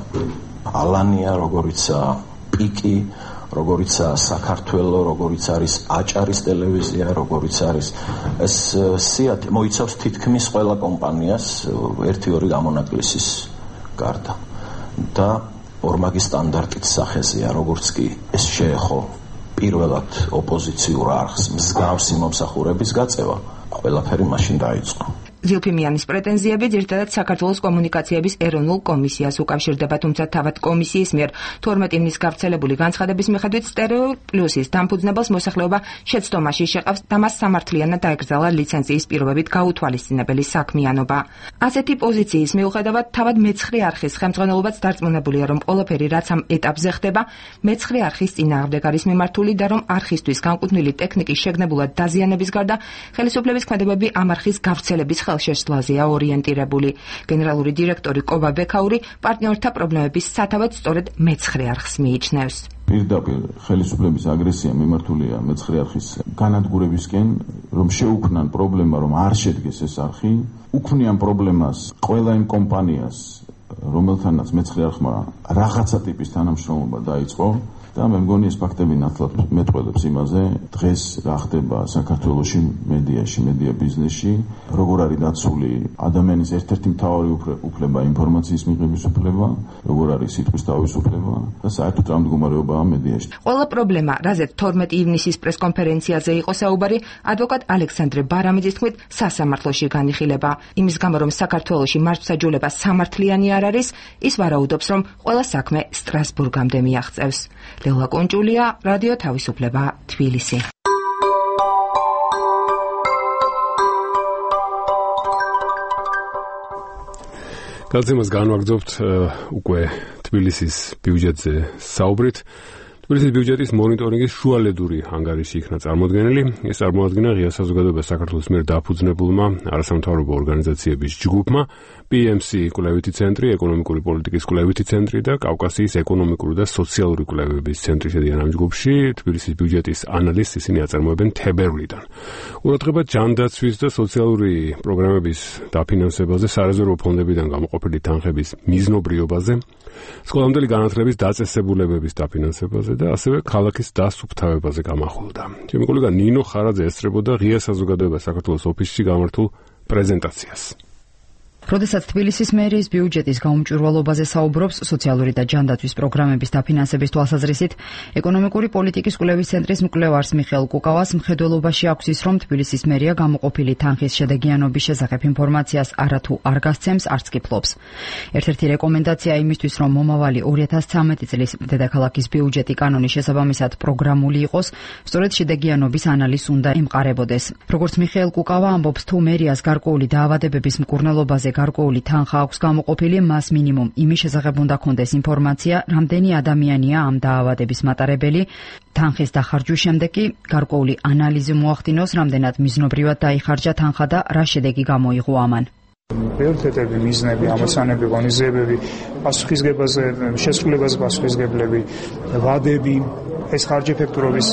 ალანია, როგორიცაა პიკი, როგორიცაა საქართველო, როგორიც არის აჭარის ტელევიზია, როგორიც არის ეს სიათ მოიცავს თითქმის ყველა კომპანიას ერთი ორი გამონაკლისის გარდა და ორმაგი სტანდარტით სახეზეა, როგორც კი ეს შეეხო პირველად ოპოზიციურ არხს მსგავსი მომსახურების გაწევა, ყველაფერი მაშინ დაიწყო. ზილფიმიანის პრეტენზიები ძირითადად საქართველოს კომუნიკაციების ეროვნულ კომისიას უკავშირდება, თუმცა თავად კომისიის მიერ თორმეტი ივნის გავრცელებული განცხადების მიხედვით სტერეო პლუსის დამფუძნებელს მოსახლეობა შეცდომაში შეყავს და მას სამართლიანად დაეკრძალა ლიცენზიის პირობებით გაუთვალისწინებელი საქმიანობა. ასეთი პოზიციის მიუხედავად თავად მეცხრე არხის ხელმძღვანელობაც დარწმუნებულია, რომ ყველაფერი რაც ამ ეტაპზე ხდება, მეცხრე არხის წინააღმდეგ არის მიმართული და რომ არხისთვის განკუთვნილი ტექნიკის შეგნებულად დაზიანების გარდა ხელისუფლების ქმედებები ამ არხის გავრცელების ხელშეშლაზეა ორიენტირებული. გენერალური დირექტორი კობა ბექაური პარტნიორთა პრობლემების სათავედ სწორედ მეცხრე არხს მიიჩნევს. პირდაპირ ხელისუფლების აგრესია მიმართულია მეცხრე არხის განადგურებისკენ, რომ შეუქმნან პრობლემა, რომ არ შედგეს ეს არხი, უქმნიან პრობლემას ყველა იმ კომპანიას, რომელთანაც მეცხრე არხმა რაღაცა ტიპის თანამშრომლობა დაიწყო და მე მგონი ეს ფაქტები ნათლად მეტყველებს იმაზე, დღეს რა ხდება საქართველოში მედიაში, მედია ბიზნესში, როგორ არის დაცული ადამიანის ერთ-ერთი მთავარი უფლება, ინფორმაციის მიღების უფლება, როგორ არის სიტყვის თავისუფლება და საერთოდ რა მდგომარეობაა მედიაში. ყველა პრობლემა, რაზეც თორმეტი ივნისის პრესკონფერენციაზე იყო საუბარი, ადვოკატ ალექსანდრე ბარამიძის თქმით, სასამართლოში განიხილება. იმის გამო, რომ საქართველოში მართლმსაჯულება სამართლიანი არ არის, ის ვარაუდობს, რომ ყველა საქმე სტრასბურგამდე მიაღწევს. ლელა კონჭულია, რადიო თავისუფლება, თბილისი. გადაცემას განვაგრძობთ უკვე თბილისის ბიუჯეტზე საუბრით. თბილისის ბიუჯეტის მონიტორინგის შუალედური ანგარიში იქნა წარმოდგენილი. ეს წარმოადგენა ღია საზოგადოებას საქართველოს მიერ დაფუძნებულმა არასამთავრობო ორგანიზაციების ჯგუფმა, პი ემ სი კვლევითი ცენტრი, ეკონომიკური პოლიტიკის კვლევითი ცენტრი და კავკასიის ეკონომიკური და სოციალური კვლევების ცენტრი შედიან ამ ჯგუფში. თბილისის ბიუჯეტის ანალიზს ისინი აწარმოებენ თებერვლიდან. ყურადღება ჯანდაცვის და სოციალური პროგრამების დაფინანსებაზე, სარეზერვო ფონდებიდან გამოყოფილი თანხების მიზნობრიობაზე, სკოლამდელი განათლების დაწესებულებების დაფინანსებაზე და ასევე ქალაქის დასუფთავებაზე გამახვილდა. ჩემი კოლეგა ნინო ხარაძე ესწრებოდა ღია საზოგადოებას საქართველოს ოფისში გამართულ პრეზენტაციას. როდესაც თბილისის მერიის ბიუჯეტის გაუმჭვირვალობაზე საუბრობს სოციალური და ჯანდაცვის პროგრამების დაფინანსების თვალსაზრისით, ეკონომიკური პოლიტიკის კვლევის ცენტრის მკვლევარს მიხეილ კუკავას მხედველობაში აქვს ის, რომ თბილისის მერია გამოყოფილი თანხის შედეგიანობის შესახებ ინფორმაციას არათუ არ გასცემს, არც კი ფლობს. ერთ-ერთი რეკომენდაცია იმისთვის, რომ მომავალი ორი ათას ცხრამეტი წლის დედაქალაქის ბიუჯეტი კანონის შესაბამისად პროგრამული იყოს, სწორედ შედეგიანობის ანალიზს უნდა ემყარებოდეს. როგორც მიხეილ კუკავა ამბობს, თუ მერიას გარკვეული დაავადებების მკურნალობაზე გარკვეული თანხა აქვს გამოყოფილი, მას მინიმუმ იმის შესახებ უნდა ქონდეს ინფორმაცია, რამდენი ადამიანია ამ დაავადების მატარებელი. თანხის დახარჯვის შემდეგ კი გარკვეული ანალიზი მოახდინოს, რამდენად მიზნობრივად დაიხარჯა თანხა და რა შედეგი გამოიღო ამან. პრიორიტეტები, მიზნები, ამოცანები, ღონისძიებები, პასუხისგებაზე, შესრულებაზე პასუხისგებლები, ვადები, ეს ხარჯი ეფექტურობის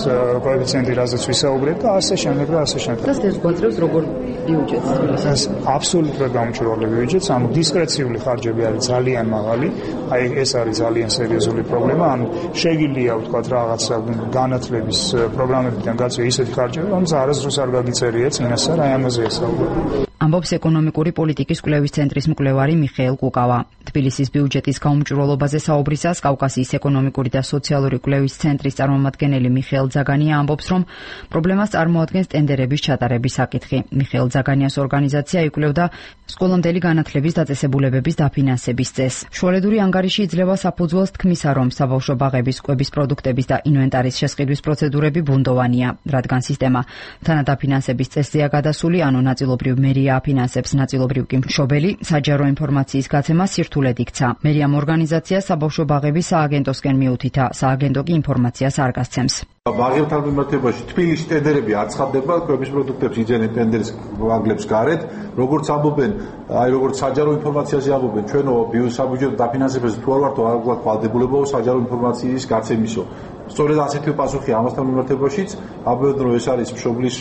კოეფიციენტი, რაზეც ვისაუბრეთ და ასე შემდეგ და ასე შემდეგ. და ეს გვაძლევს როგორ ბიუჯეტს? ეს აბსოლუტურად გამჭვირვალე ბიუჯეტს, ანუ დისკრეციული ხარჯები არის ძალიან მაღალი, აი ეს არის ძალიან სერიოზული პრობლემა, ანუ შეგიძლია ვთქვათ რაღაცა განათლების პროგრამებიდან გაწვია ისეთი ხარჯები, რომელიც არასდროს არ გაგიწერია წინასწარ, აი ამაზე ესაუბრებ. ამბობს ეკონომიკური პოლიტიკის კვლევის ცენტრის მკვლევარი მიხეილ კუკავა. თბილისის ბიუჯეტის გაუმჭვირვალობაზე საუბრისას კავკასიის ეკონომიკური და სოციალური კვლევის ცენტრის წარმომადგენელი მიხეილ ძაგანია ამბობს, რომ პრობლემას წარმოადგენს ტენდერების ჩატარების საკითხი. მიხეილ ძაგანიას ორგანიზაცია იკვლევდა სკოლამდელი განათლების დაწესებულებების დაფინანსების წესს. შუალედური ანგარიში იძლევა საფუძველს თქმისა, რომ საბავშვო ბაღების კვების პროდუქტების და ინვენტარის შესყიდვის პროცედურები ბუნდოვანია, რადგან სისტემა თანადაფინანსების წესზეა გადასული, ანუ ნაწილობრივ მერია აფინანსებს, ნაწილობრივ კი მშობელი, საჯარო ინფორმაციის გაცემა სირთულედ იქცა. მერიამ ორგანიზაცია საბავშვო ბაღების სააგენტოსკენ მიუთითა, სააგენტო კი ინფორმაციას არ გასცემს. ბაღებთან მიმართებაში თბილისში ტენდერები არ ცხადდება, კვების პროდუქტებს იძენენ ტენდერის ვაგლებს გარეთ, როგორც ამბობენ, აი როგორც საჯარო ინფორმაციაზე ამბობენ, ჩვენო ბიუსაბიუჯეტო დაფინანსებაზე თუ არ ვართ არ გვაქვს ვალდებულება საჯარო ინფორმაციის გაცემისო. სწორედ ასეთი პასუხი ამასთან მიმართებაშიც, ამბობენ, რომ ეს არის მშობლის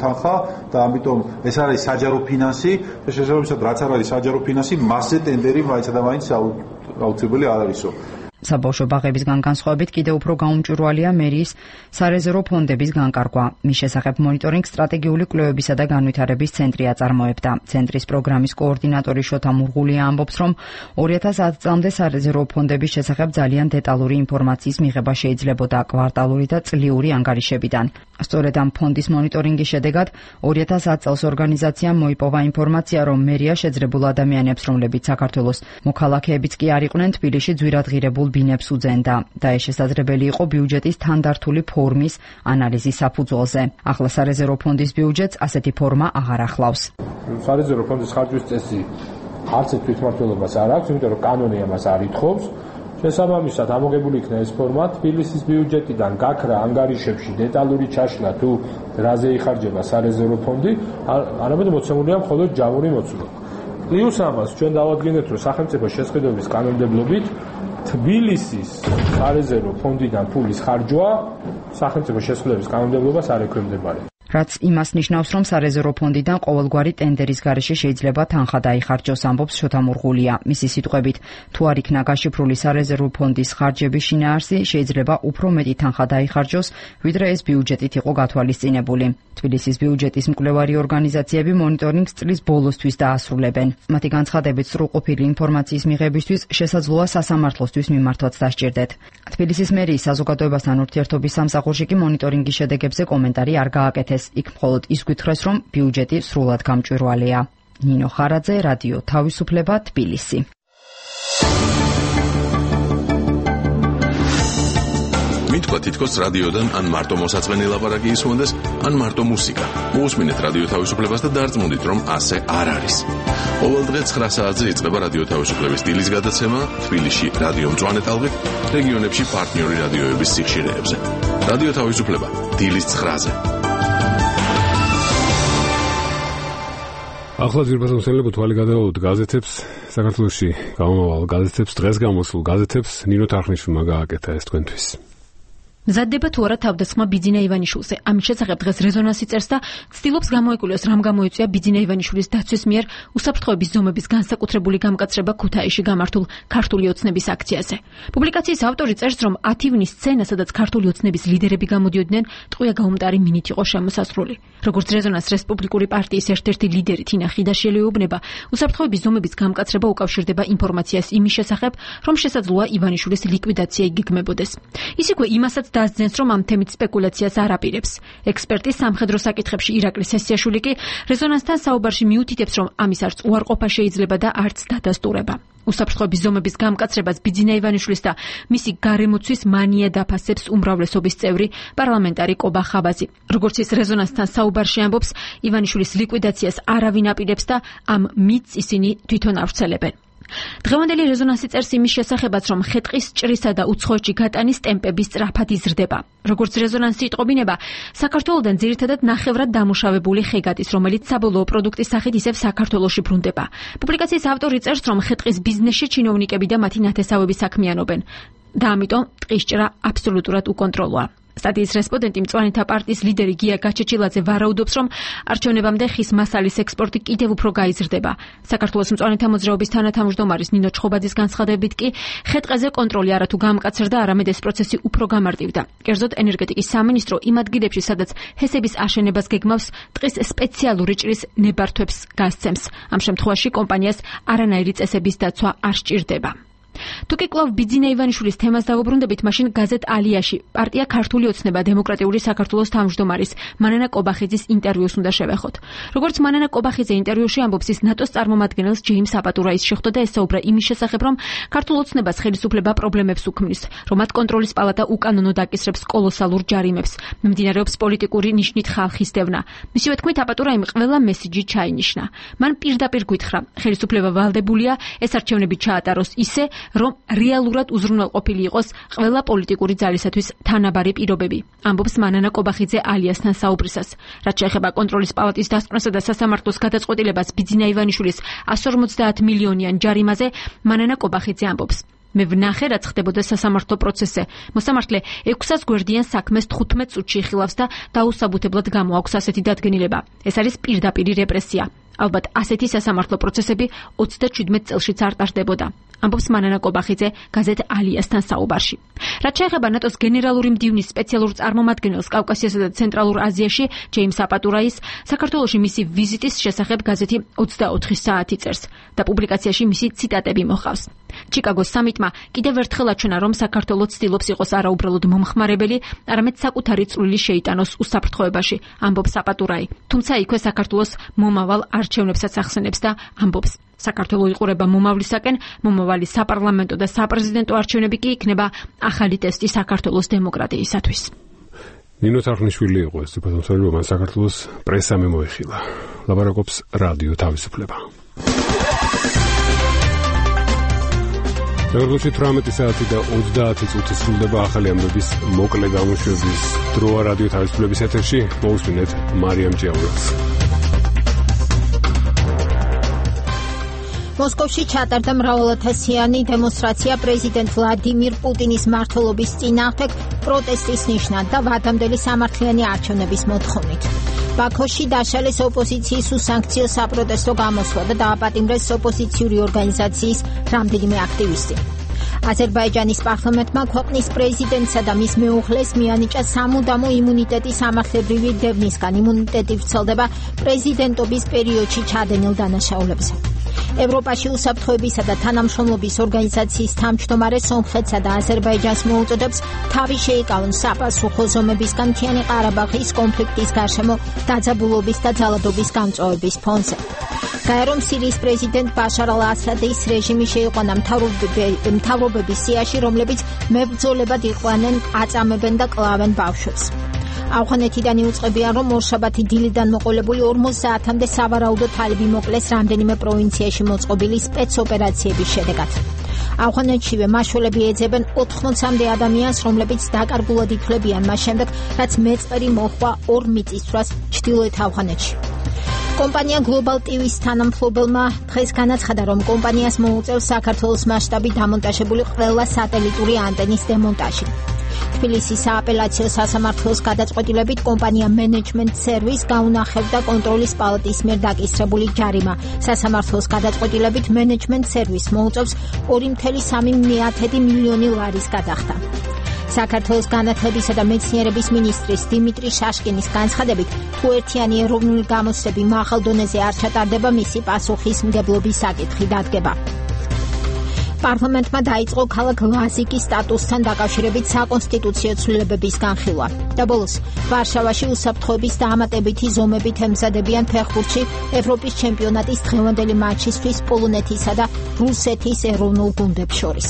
თანხა და ამიტომ ეს არის საჯარო ფინანსი და შესაბამისად რაც არ არის საჯარო ფინანსი, მასზე ტენდერი მაინცდა და მაინც აუცილებელი არ არისო. საბავშვო ბაღებისგან განსხვავებით კიდევ უფრო გაუმჭვირვალეა მერიის სარეზერვო ფონდების განკარგვა. მის შესახებ მონიტორინგ სტრატეგიული კვლევებისა და განვითარების ცენტრი აწარმოებდა. ცენტრის პროგრამის კოორდინატორი შოთა მურღულია ამბობს, რომ ორი ათას ათი წლამდე სარეზერვო ფონდების შესახებ ძალიან დეტალური ინფორმაციის მიღება შეიძლებოდა კვარტალური და წლიური ანგარიშებიდან. სწორედ ამ ფონდის მონიტორინგის შედეგად ორი ათას ათი წელს ორგანიზაციამ მოიპოვა ინფორმაცია, რომ მერია შეძლებულ ადამიანებს, რომლებიც საქართველოს მოქალაქეებიც კი არ იყვნენ, თბილისში ძვირადღირებულ ბინებს უძენდა და ეს შესაძლებელი იყო ბიუჯეტის თანდართული ფორმის ანალიზის საფუძველზე. ახლა სარეზერვო ფონდის ბიუჯეტს ასეთი ფორმა აღარ ახლავს. სარეზერვო ფონდის ხარჯვის წესი არც ერთ თვითმმართველობას არ აქვს, იმიტომ რომ კანონი ამას არ ითხოვს. შესაბამისად ამოგებული იქნა ეს ფორმა თბილისის ბიუჯეტიდან გაქრა ანგარიშებში დეტალური ჩაშლა თუ რაზე იხარჯება სარეზერვო ფონდი, არამედ მოცემულია მხოლოდ ჯამური მოცულა. პლუს ამას ჩვენ დავადგენთ, რომ სახელმწიფო შესყიდვების კანონმდებლობით თბილისის სარეზერვო ფონდიდან ფულის ხარჯვა სახელმწიფო შესყიდვების კანონმდებლობას არ ექვემდებარება. რაც იმას ნიშნავს, რომ სარეზერვო ფონდიდან ყოველგვარი ტენდერის გარეშე შეიძლება თანხა დაიხარჯოს, ამბობს შოთა მურღულია. მისი სიტყვებით, თუ არ იქნა გაშიფრული სარეზერვო ფონდის ხარჯების შინაარსი, შეიძლება უფრო მეტი თანხა დაიხარჯოს, ვიდრე ეს ბიუჯეტით იყო გათვალისწინებული. თბილისის ბიუჯეტის მკვლევარი ორგანიზაციები მონიტორინგს წლის ბოლოსთვის დაასრულებენ. მათი განცხადებით, სრულყოფილი ინფორმაციის მიღებისთვის შესაძლოა სასამართლოსთვის მიმართვაც დასჭირდეთ. თბილისის მერიის საზოგადოებასთან ურთიერთობის სამსახურში კი მონიტორინგის შედეგებზე კომენტარი არ გააკეთეს. იქ მხოლოდ ის გვითხრეს, რომ ბიუჯეტი სრულად გამჭვირვალეა. ნინო ხარაძე, რადიო თავისუფლება, თბილისი. მითქვა თითქოს რადიოდან ან მარტო მოსაწყენი ლაპარაკი ისმონდეს, ან მარტო მუსიკა. მოусმინეთ რადიო თავისუფლებას და დარწმუნდით, რომ ასე არ არის. ყოველდღე ცხრა საათზე იწყება რადიო თავისუფლების დილის გადაცემა თბილისში რადიო მწვანე ტალღით, რეგიონებში პარტნიორი რადიოების სიხშირეებზე. რადიო თავისუფლება დილის ცხრაზე. ახლა ძირფასო მსმენელებო, თვალი გადავაუთ გაზეთებს, საქართველოში გამომავალ გაზეთებს, დღეს გამოსულ გაზეთებს. ნინო თარხნიშვილმა გააკეთა ეს თქვენთვის. მზადდება თუ არა თავდასხმა ბიძინა ივანიშვილზე. ამის შესახებ დღეს რეზონანსი წერს და ცდილობს გამოეკულიოს, რამ გამოიწვია ბიძინა ივანიშვილის დაცვის მიერ უსაფრთხოების ზომების განსაკუთრებული გამკაცრება ქუთაისში გამართულ ქართული ოცნების აქციაზე. პუბლიკაციის ავტორი წერს, რომ ათი ივნის სცენა, სადაც ქართული ოცნების ლიდერები გამოდიოდნენ, ტყვია გაუმტარი მინით იყო შემოსასრული. როგორც რეზონანს რესპუბლიკური პარტიის ერთ-ერთი ლიდერი თინა ხიდაშელი ეუბნება, უსაფრთხოების ზომების გამკაცრება უკავშირდება ინფორმაციას იმის შესახებ, რომ შესაძლოა ივანიშვილის ლიკვიდაცია იგეგმებოდეს. ის იქვე იმასაც დასძენს, რომ ამ თემით სპეკულაციას არ აპირებს. ექსპერტი სამხედრო საკითხებში ირაკლი სესიაშვილი კი რეზონანსთან საუბარში მიუთითებს, რომ ამის არც უარყოფა შეიძლება და არც დადასტურება. უსაფრთხოების ზომების გამკაცრებას ბიძინა ივანიშვილის და მისი გარემოცვის მანია დაფასებს უმრავლესობის წევრი პარლამენტარი კობა ხაბაზი. როგორც ის რეზონანსთან საუბარში ამბობს, ივანიშვილის ლიკვიდაციას არავინ აპირებს და ამ მითს ისინი თვითონ ავრცელებენ. დღევანდელი რეზონანსი წერს იმის შესახებაც, რომ ხეტყის ჭრისა და უცხოეთში გატანის ტემპები სწრაფად იზრდება. როგორც რეზონანსი იტყობინება, საქართველოდან ძირითადად ნახევრად დამუშავებული ხე გადის, რომელიც საბოლოო პროდუქტის სახით ისევ საქართველოში ბრუნდება. პუბლიკაციის ავტორი წერს, რომ ხეტყის ბიზნესში ჩინოვნიკები და მათი ნათესავები საქმიანობენ და ამიტომ ტყის ჭრა აბსოლუტურად უკონტროლოა. სტატიის რესპონდენტი მწვანეთა პარტიის ლიდერი გია გაჩეჩილაძე ვარაუდობს, რომ არჩევნებამდე ხის მასალის ექსპორტი კიდევ უფრო გაიზრდება. საქართველოს მწვანეთა მოძრაობის თანათავმჯდომარის ნინო ჩხობაძის განცხადებით კი ხეტყეზე კონტროლი არათუ გამკაცრდა, არამედ ეს პროცესი უფრო გამარტივდა. კერძოდ ენერგეტიკის სამინისტრო იმ ადგილებში, სადაც ჰესების აშენებას გეგმავს, ტყის სპეციალური ჭრის ნებართვებს გასცემს. ამ შემთხვევაში კომპანიას არანაირი წესების დაცვა არ სჭირდება. თუკი კლავ ბიძინა ივანიშვილის თემას დავუბრუნდებით, მაშინ გაზეთ ალიაში პარტია ქართული ოცნება დემოკრატიული საქართველოს თავმჯდომარის მანანა კობახიძის ინტერვიუს უნდა შევეხოთ. როგორც მანანა კობახიძე ინტერვიუში ამბობს, ის ნატოს წარმომადგენელს ჯეიმს აპატურაის შეხვდა და ესაუბრა იმის შესახებ, რომ ქართულ ოცნებას ხელისუფლება პრობლემებს უქმნის, რომ მათ კონტროლის პალატა უკანონოდ აკისრებს კოლოსალურ ჯარიმებს, მიმდინარეობს პოლიტიკური ნიშნით ხალხის დევნა. მისივე თქმით, აპატურაიმ ყველა მესიჯი ჩაინიშნა. მან პირდაპირ გითხრა, ხელისუფლება ვალდებულია ეს არჩევნები ჩაატაროს ისე, რომ რეალურად უზრუნველყოფილი იყოს ყველა პოლიტიკური ძალისათვის თანაბარი პირობები. ამბობს მანანა კობახიძე ალიასთან საუბრისას. რაც შეეხება კონტროლის პალატის დასკვნასა და სასამართლოს გადაწყვეტილებას ბიძინა ივანიშვილის εκατს ორმოცდაათ მილიონიან ჯარიმაზე, მანანა კობახიძე ამბობს. მე ვნახე, რაც ხდებოდა სასამართლო პროცესზე. მოსამართლე ექვსას გვერდიან საქმეს თხუთმეტ წუთში იხილავს და დაუსაბუთებლად გამოაქვს ასეთი დადგენილება. ეს არის პირდაპირი რეპრესია. ალბათ ასეთი სასამართლო პროცესები ოცდაჩვიდმეტ წელშიც არ ტარდებოდა. ამბობს მანანა კობახიძე გაზეთ ალიასთან საუბარში. რაც შეეხება ნატოს გენერალური მდივნის სპეციალურ წარმომადგენელს კავკასიასა და ცენტრალურ აზიაში, ჯეიმს აპატურაის, საქართველოში მისი ვიზიტის შესახებ გაზეთი ოცდაოთხი საათი წერს და პუბლიკაციაში მისი ციტატები მოჰყავს. ჩიკაგოს სამიტმა კიდევ ერთხელ აჩვენა, რომ საქართველო ცდილობს იყოს არაუბრალოდ მომხმარებელი, არამედ საკუთარი წვლილი შეიტანოს უსაფრთხოებაში, ამბობს აპატურაი. თუმცა იქვე საქართველოს მომავალ არჩევნებსაც ახსენებს და ამბობს, საქართველო იყურება მომავლისაკენ, მომავალი საპარლამენტო და საპრეზიდენტო არჩევნები კი იქნება ახალი ტესტი საქართველოს დემოკრატიისათვის. ნინო თარხნიშვილი იყო ეს ციფროსმენელი, მან საქართველოს პრესა მიმოიხილა. ლაპარაკობს რადიო თავისუფლება. როგორც თვრამეტი საათი და ოცდაათი წუთი სრულდება ახალი ამბების მოკლე გამოშვების დროა რადიო თავისუფლების ეთერში. მოусმინეთ მარიამ ჭიაურელს. მოსკოვში ჩატარდა მრავალათასიანი დემონსტრაცია პრეზიდენტ ვლადიმირ პუტინის მმართველობის წინააღმდეგ პროტესტის ნიშნად და ვადამდელი სამართლიანი არჩევნების მოთხოვნით. ბაქოში დაშალეს ოპოზიციის უსანქციო საპროტესტო გამოსვლა და დააპატიმრეს ოპოზიციური ორგანიზაციის რამდენიმე აქტივისტი. აზერბაიჯანის პარლამენტმა ქვეყნის პრეზიდენტსა და მის მეუღლეს მიანიჭა სამუდამო იმუნიტეტი სამართლებრივი დევნისგან. იმუნიტეტი ვრცელდება პრეზიდენტობის პერიოდში ჩადენილ დანაშაულებზე. ევროპაში უსაფრთხოებისა და თანამშრომლობის ორგანიზაციის თავმჯდომარე სომხეთსა და აზერბაიჯანს მოუწოდებს თავი შეიკავონ საპასუხო ზომებისგან მთიანი ყარაბაღის კონფლიქტის გარშემო დაძაბულობის და ძალადობის გამწვავების ფონზე. გაერომ სირიის პრეზიდენტ ბაშარ ალ-ასადის რეჟიმი შეიყვანა მთავრობების სიაში, რომლებიც მებრძოლებად იყვანენ, აწამებენ და კლავენ ბავშვებს. ავღანეთიდან იუწყებიან, რომ ორშაბათი დილიდან მოყოლებული ორმოც საათამდე სავარაუდო თალიბი მოკლეს რამდენიმე პროვინციაში მოწყობილი სპეცოპერაციების შედეგად. ავღანეთშივე მაშველები ეძებენ ოთხმოცამდე ადამიანს, რომლებიც დაკარგულად ითვლებიან მას შემდეგ, რაც მეწყერი მოჰყვა ორ მიწისძვრას ჩრდილოეთ ავღანეთში. კომპანია Global ტი ვის თანამფლობელმა დღეს განაცხადა, რომ კომპანიას მოუწევს საქართველოს მასშტაბით დამონტაჟებული ყველა სატელიტური ანტენის დემონტაჟი. თბილისის სააპელაციო სასამართლოს გადაწყვეტილებით კომპანია Management Service გაუნახებდა კონტროლის პალატის მიერ დაკისრებული ჯარიმა. სასამართლოს გადაწყვეტილებით Management Service მოუწევს ორი კoma სამი მილიონი ლარის გადახდა. საქართველოს განათლებისა და მეცნიერების მინისტრის დიმიტრი შაშკინის განცხადებით, თუ ერთიანი ეროვნული გამოცდები მაღალ დონეზე არ ჩატარდება, მისი პასუხისმგებლობის საკითხი დადგება. პარლამენტმა დაიწყო ქალაქ ლაზიკის სტატუსთან დაკავშირებით საკონსტიტუციო ცვლილებების განხილვა. და ბოლოს, ვარშავაში უსაფრთხოების დაამატებითი ზომებით ემზადებიან ფეხბურთში ევროპის ჩემპიონატის დღევანდელი მატჩისთვის პოლონეთისა და რუსეთის ეროვნულ გუნდებს შორის.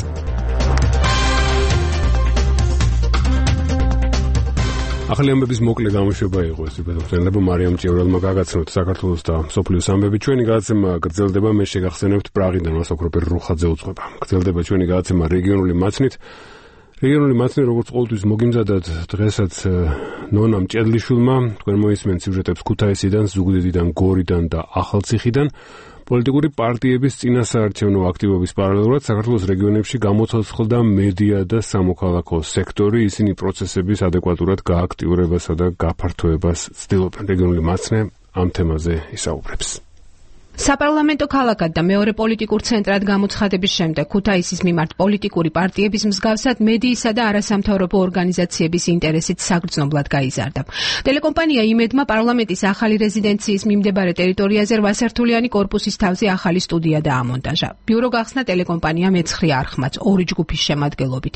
ახალი ამბების მოკლე გამოშვება იყო ეს ბედოფრენლებო მარიამ ჭიორელმა გაგაცნოთ საქართველოს და სოფლიოს ამბები. ჩვენი გადაცემა გრძელდება, მე შეგახსენებთ პრაღიდან მასოკროპერ რუხაძე უწყება. გრძელდება ჩვენი გადაცემა რეგიონული მაცნით. რეგიონული მაცნი როგორც ყოველთვის მოგიმზადათ დღესაც ნონა მჭედლიშვილმა, თქვენ მოისმენთ სიუჟეტებს ქუთაისიდან, ზუგდიდიდან, გორიდან და ახალციხიდან. პოლიტიკური პარტიების წინასაარჩევნო აქტივობის პარალელურად საქართველოს რეგიონებში გამოცოცხლდა მედია და სამოქალაქო სექტორი. ისინი პროცესების ადეკვატურად გააქტიურებასა და გაფართოებას ცდილობენ. რეგიონული მაცნე ამ თემაზე ისაუბრებს. საპარლამენტო ქალაქად და მეორე პოლიტიკურ ცენტრად გამოცხადების შემდეგ ქუთაისის მიმართ პოლიტიკური პარტიების მსგავსად მედიისა და არასამთავრობო ორგანიზაციების ინტერესით საგრძნობლად გაიზარდა. ტელეკომპანია იმედმა პარლამენტის ახალი რეზიდენციის მიმდებარე ტერიტორიაზე რვასართულიანი კორპუსის თავზე ახალი სტუდია დაამონტაჟა. ბიურო გახსნა ტელეკომპანია მეცხრე არხმაც ორი ჯგუფის შემადგენლობით.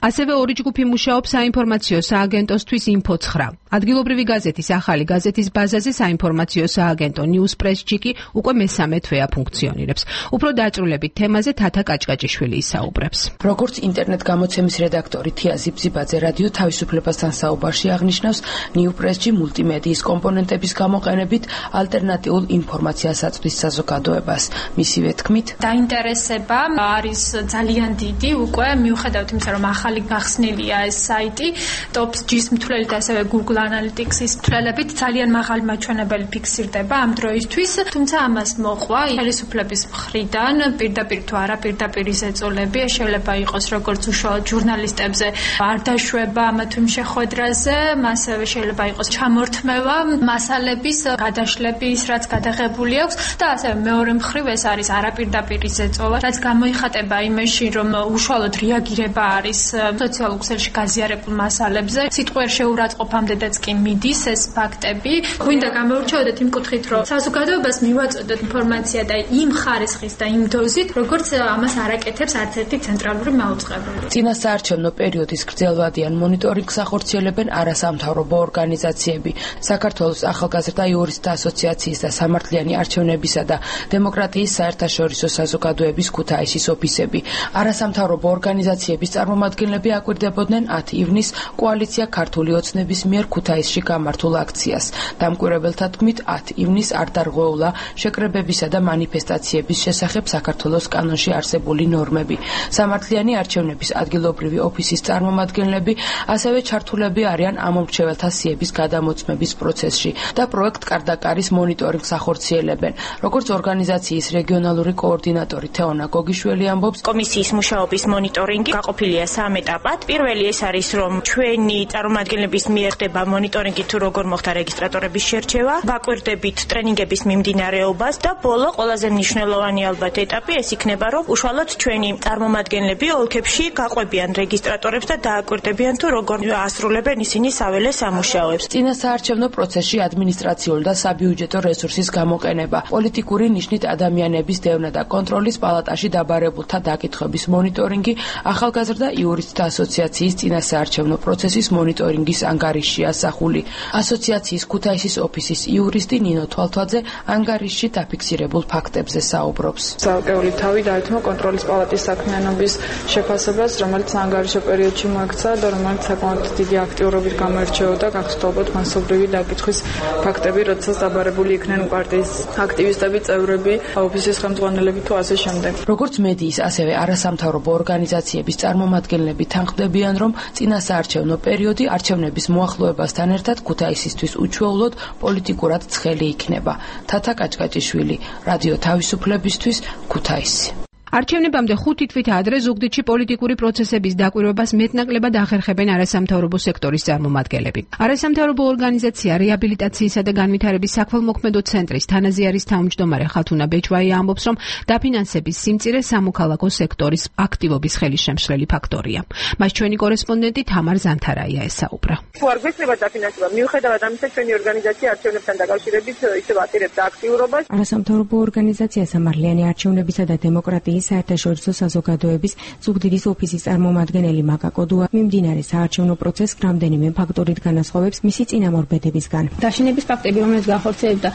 ასევე ორი ჯგუფი მუშაობს საინფორმაციო სააგენტოსთვის ინფო ცხრა. ადგილობრივი გაზეთის ახალი გაზეთის ბაზაზე საინფორმაციო სააგენტო ნიუსპრეს-ჯიკი უკვე მესამე თვეა ფუნქციონირებს. უფრო დაწვრილებით თემაზე თათა კაჭკაჭიშვილი ისაუბრებს. როგორც ინტერნეტ გამოცემის რედაქტორი თია ზიბზიბაძე რადიო თავისუფლებასთან საუბარში აღნიშნავს, ნიუპრესჯი მულტიმედიის კომპონენტების გამოყენებით ალტერნატიულ ინფორმაციას აწვდის საზოგადოებას. მისივე თქმით, დაინტერესება არის ძალიან დიდი, უკვე მიუხედავად იმისა, რომ ახალი გახსნილია ეს საიტი, ტოპ-ჯის მთვლელით ასევე Google Analytics-ის მთლელებით ძალიან მაღალი მაჩვენებელი ფიქსირდება ამ დროისთვის, თუმცა ამას მოყვა ხელისუფლების მხრიდან პირდაპირ თუ არა პირდაპირ ზეწოლები, შეიძლება იყოს როგორც უშუალოდ ჟურნალისტებზე არ დაშვება ამა თუ იმ შეხვედრაზე, ასევე შეიძლება იყოს ჩამორთმევა მასალების გადაშლების, რაც გადაღებული აქვს და ასევე მეორე მხრივ ეს არის არაპირდაპირ ზეწოლა, რაც გამოიხატება იმაში, რომ უშუალოდ რეაგირება არის სოციალურ ქსელში გაზიარებულ მასალებზე, სიტყვიერ შეურაცხყოფამდეც კი მიდის ეს ფაქტები. გვინდა გამოვირჩევოდეთ იმ კუთხით, რომ საზოგადოებას მივაწოდოთ ინფორმაცია და იმ ხარისხის და იმ დოზით, როგორც ამას არაკეთებს არც ერთი ცენტრალური მაუწყებელი. წინასაარჩევნო პერიოდის გრძელვადიან მონიტორინგს ახორციელებენ არასამთავრობო ორგანიზაციები, საქართველოს ახალგაზრდა იურისტთა ასოციაციის და სამართლიანი არჩევნებისა და დემოკრატიის საერთაშორისო საზოგადოების ქუთაისის ოფისები. არასამთავრობო ორგანიზაციების წარმომადგენლები აკვირდებოდნენ ათი ივნისს კოალიცია ქართული ოცნების მიერ ქუთაისში გამართულ აქციას. დამკვირვებელთა თქმით, ათი ივნისს არ დარღვეულა შეკრებილ წვდებებისა და მანიფესტაციების შესახებ საქართველოს კანონში არსებული ნორმები. სამართლიანი არჩევნების ადგილობრივი ოფისის წარმომადგენლები ასევე ჩართულები არიან ამომრჩეველთა სიების გადამოწმების პროცესში და პროექტ კარდაკარის მონიტორინგს ახორციელებენ. როგორც ორგანიზაციის რეგიონალური კოორდინატორი თეონა გოგიშველი ამბობს, კომისიის მუშაობის მონიტორინგი გაყოფილია სამ ეტაპად. პირველი ეს არის, რომ ჩვენი წარმომადგენლების მიერ ხდება მონიტორინგი თუ როგორ მოხდა რეგისტრატორების შერჩევა, ვაკვირდებით ტრენინგების მიმდინარეობას და ბოლო ყველაზე მნიშვნელოვანი ალბათ ეტაპი ეს იქნება, რომ უშუალოდ ჩვენი წარმომადგენლები ოლქებში გაყვებიან რეგისტრატორებს და დააკვირდებიან თუ როგორ ასრულებენ ისინი საველე სამუშაოებს. წინასაარჩევნო პროცესში ადმინისტრაციული და საბიუჯეტო რესურსის გამოყენება, პოლიტიკური ნიშნით ადამიანების დევნა და კონტროლის პალატაში დაბარებულთა დაკითხვების მონიტორინგი, ახალგაზრდა იურისტთა ასოციაციის წინასაარჩევნო პროცესის მონიტორინგის ანგარიშში ასახული. ასოციაციის ქუთაისის ოფისის იურისტი ნინო თვალთვაძე ანგარიშში დაფიქსირებულ ფაქტებზე საუბრობს. ცალკეული თავი დაეთმო კონტროლის პალატის საქმიანობის შეფასებას, რომელიც ანგარიშო პერიოდში მოექცა და რომელიც საკმაოდ დიდი აქტიურობით გამოირჩეოდა, გახსოვთ მასობრივი დაკითხვის ფაქტები, როდესაც დაბარებული იქნენ პარტიის აქტივისტები, წევრები, ოფისის ხელმძღვანელები თუ ასე შემდეგ. როგორც მედიის, ასევე არასამთავრობო ორგანიზაციების წარმომადგენლები თანხმდებიან, რომ წინასაარჩევნო პერიოდი არჩევნების მოახლოებასთან ერთად ქუთაისისთვის უჩვეულოდ პოლიტიკურად ცხელი იქნება. თათა კაჭკაჭიშვილი, რადიო თავისუფლებისთვის, ქუთაისი. არჩევნებამდე ხუთი თვით ადრე ზუგდიდში პოლიტიკური პროცესების დაკვირვებას მეტნაკლებად ახერხებენ არასამთავრობო სექტორის წარმომადგენლები. არასამთავრობო ორგანიზაცია რეაბილიტაციისა და განვითარების საქველმოქმედო ცენტრის თანაზიარის თავმჯდომარე ხათუნა ბეჭვაია ამბობს, რომ დაფინანსების სიმწირე სამოქალაქო სექტორის აქტივობის ხელისშემშლელი ფაქტორია. მას ჩვენი კორესპონდენტი თამარ ზანთარაია ესაუბრა. თუ არ გვეცდება დაფინანსება, მიუხედავად ამისა, ჩვენი ორგანიზაცია არჩევნებთან დაკავშირებით ისევ ატირებდა აქტიურობას. არასამთავრობო ორგანიზაცია სამართლიანი არჩევნებისა და დემოკრატიის საერთაშორისო საზოგადოების ზუგდიდის ოფისის წარმომადგენელი მაკა კოდუა მიმდინარე საარჩევნო პროცესს რამდენიმე ფაქტორით განასხვავებს მისი წინამორბედებისგან. დაშინების ფაქტები, რომელიც განხორციელებდა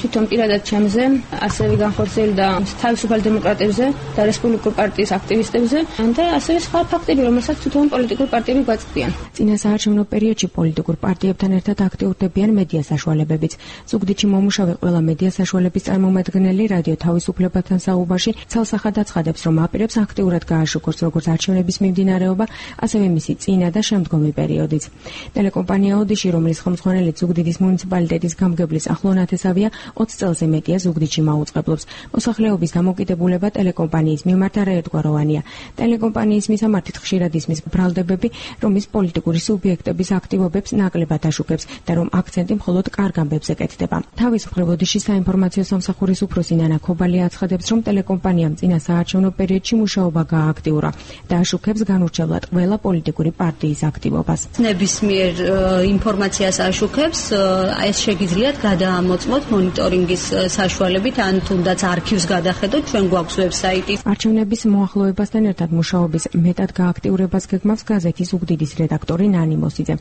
თვითონ პირადად ჩემზე, ასევე განხორციელებდა თავისუფალ დემოკრატებზე და რესპუბლიკურ პარტიის აქტივისტებზე და ასევე სხვა ფაქტები, რომელსაც თვითონ პოლიტიკურ პარტიები გვაწვდიან. წინასაარჩევნო პერიოდში პოლიტიკურ პარტიებთან ერთად აქტიურდებიან მედია საშუალებებიც. ზუგდიდში მომუშავე ყველა მედია საშუალების წარმომადგენელი რადიო თავისუფლებასთან საუბარში ცალსახად აცხადებს, რომ აპირებს აქტიურად გააშუქოს როგორც არჩევნების მიმდინარეობა, ასევე მისი წინა და შემდგომი პერიოდიც. ტელეკომპანია ოდიში, რომლის ხელმძღვანელი ზუგდიდის მუნიციპალიტეტის გამგებლის ახლო ნათესავია, ოცი წელზე მეტია ზუგდიდში მაუწყებლობს. მოსახლეობის დამოკიდებულება ტელეკომპანიის მიმართ არაერთგვაროვანია. ტელეკომპანიის მისამართით ხშირად ისმის ბრალდებები, რომ ის პოლიტიკური სუბიექტების აქტივობებს ნაკლებად აშუქებს და რომ აქცენტი მხოლოდ კარგ ამბებზე კეთდება. თავის მხრივ ოდიშის საინფორმაციო სამსახურის უფროსი ნანა ქობალია აცხადებს, რომ ტელეკომპანიამ წინა საარჩევნო პერიოდში მუშაობა გააქტიურა და აშუქებს განურჩევლად ყველა პოლიტიკური პარტიის აქტივობას. ნებისმიერ ინფორმაციას აშუქებს, ეს შეგიძლიათ გადაამოწმოთ მონიტორინგის საშუალებით, ან თუნდაც არქივს გადახედოთ, ჩვენ გვაქვს ვებსაიტი. არჩევნების მოახლოებასთან ერთად მუშაობის მეტად გააქტიურებას გეგმავს გაზეთის ზუგდიდის რედაქტორი ნანი მოსიძე.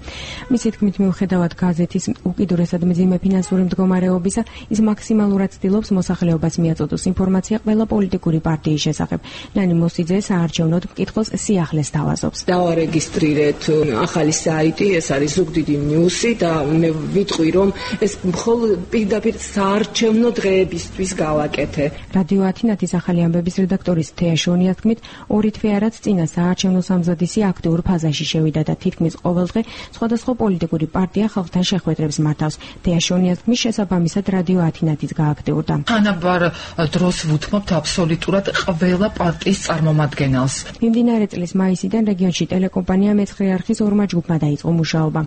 მისი თქმით, მიუხედავად გაზეთის უკიდურესად მძიმე ფინანსური მდგომარეობისა, ის მაქსიმალურად ცდილობს მოსახლეობას მიაწოდოს ინფორმაცია ყველა პოლიტიკური პარტიის შესახებ. ნანი მოსიძე საარჩევნოდ მკითხველს სიახლეს თავაზობს. დავარეგისტრირეთ ახალი საიტი, ეს არის ზუგდიდი ნიუსი და მე ვიტყვი, რომ ეს მხოლოდ პირდაპირ საარჩევნო დღეებისთვის გავაკეთე. რადიო ათინათის ახალი ამბების რედაქტორის თეა შონიას თქმით, ორი თვე არაც წინა საარჩევნო სამზადისი აქტიურ ფაზაში შევიდა და თითქმის ყოველდღე სხვადასხვა პოლიტიკური პარტია ხალხთან შეხვედრებს მართავს. თეა შონიას თქმის შესაბამისად რადიო ათინათიც გააქტიურდა. თანაბარ დროს ვუთმობთ აბსოლუტურად ყველა პარტიის წარმომადგენელს. მიმდინარე წლის მაისიდან რეგიონში ტელეკომპანია მეცხრე არხის ორმა ჯგუფმა დაიწყო მუშაობა.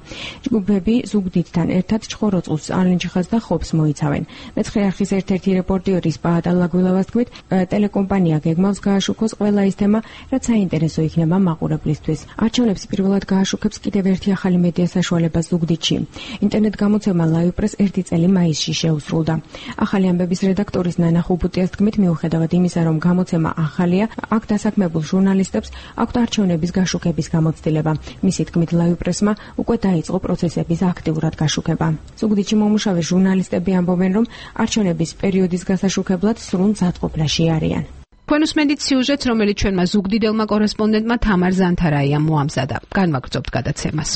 ჯგუფები ზუგდიდთან ერთად ჩხოროწყუს, ალენჯიხას და ხობს მოიცავენ. მეცხრე არხის ერთ-ერთი რეპორტიორი სპაატა ლაგვილავას თქმით, ტელეკომპანია გეგმავს გააშუქოს ყველა ის თემა, რაც საინტერესო იქნება მაყურებლისთვის. არჩევნებს პირველად გააშუქებს კიდევ ერთი ახალი მედია საშუალება ზუგდიდში. ინტერნეტ გამოცემა ლაივპრეს ერთი წელი მაისში შეუსრულდა. ახალი ამბების რედაქტორის ნანა ხუბუტიას თქმით, მიუხედავად იმისა, რომ გამოცემა ახალია, აქ დასაქმებულ ჟურნალისტებს აქვთ არჩევნების გაშუქების გამოცდილება. მისი თქმით, ლაივპრესმა უკვე დაიწყო პროცესების აქტიურად გაშუქება. ზუგდიდში მომუშავე ჟურნალისტები ამბობენ, რომ არჩევნების პერიოდის გასაშუქებლად სრულ მზადყოფნაში არიან. თქვენ უსმენთ სიუჟეტს, რომელიც ჩვენმა ზუგდიდელმა კორესპონდენტმა თამარ ზანთარაიამ მოამზადა. განვაგრძობთ გადაცემას.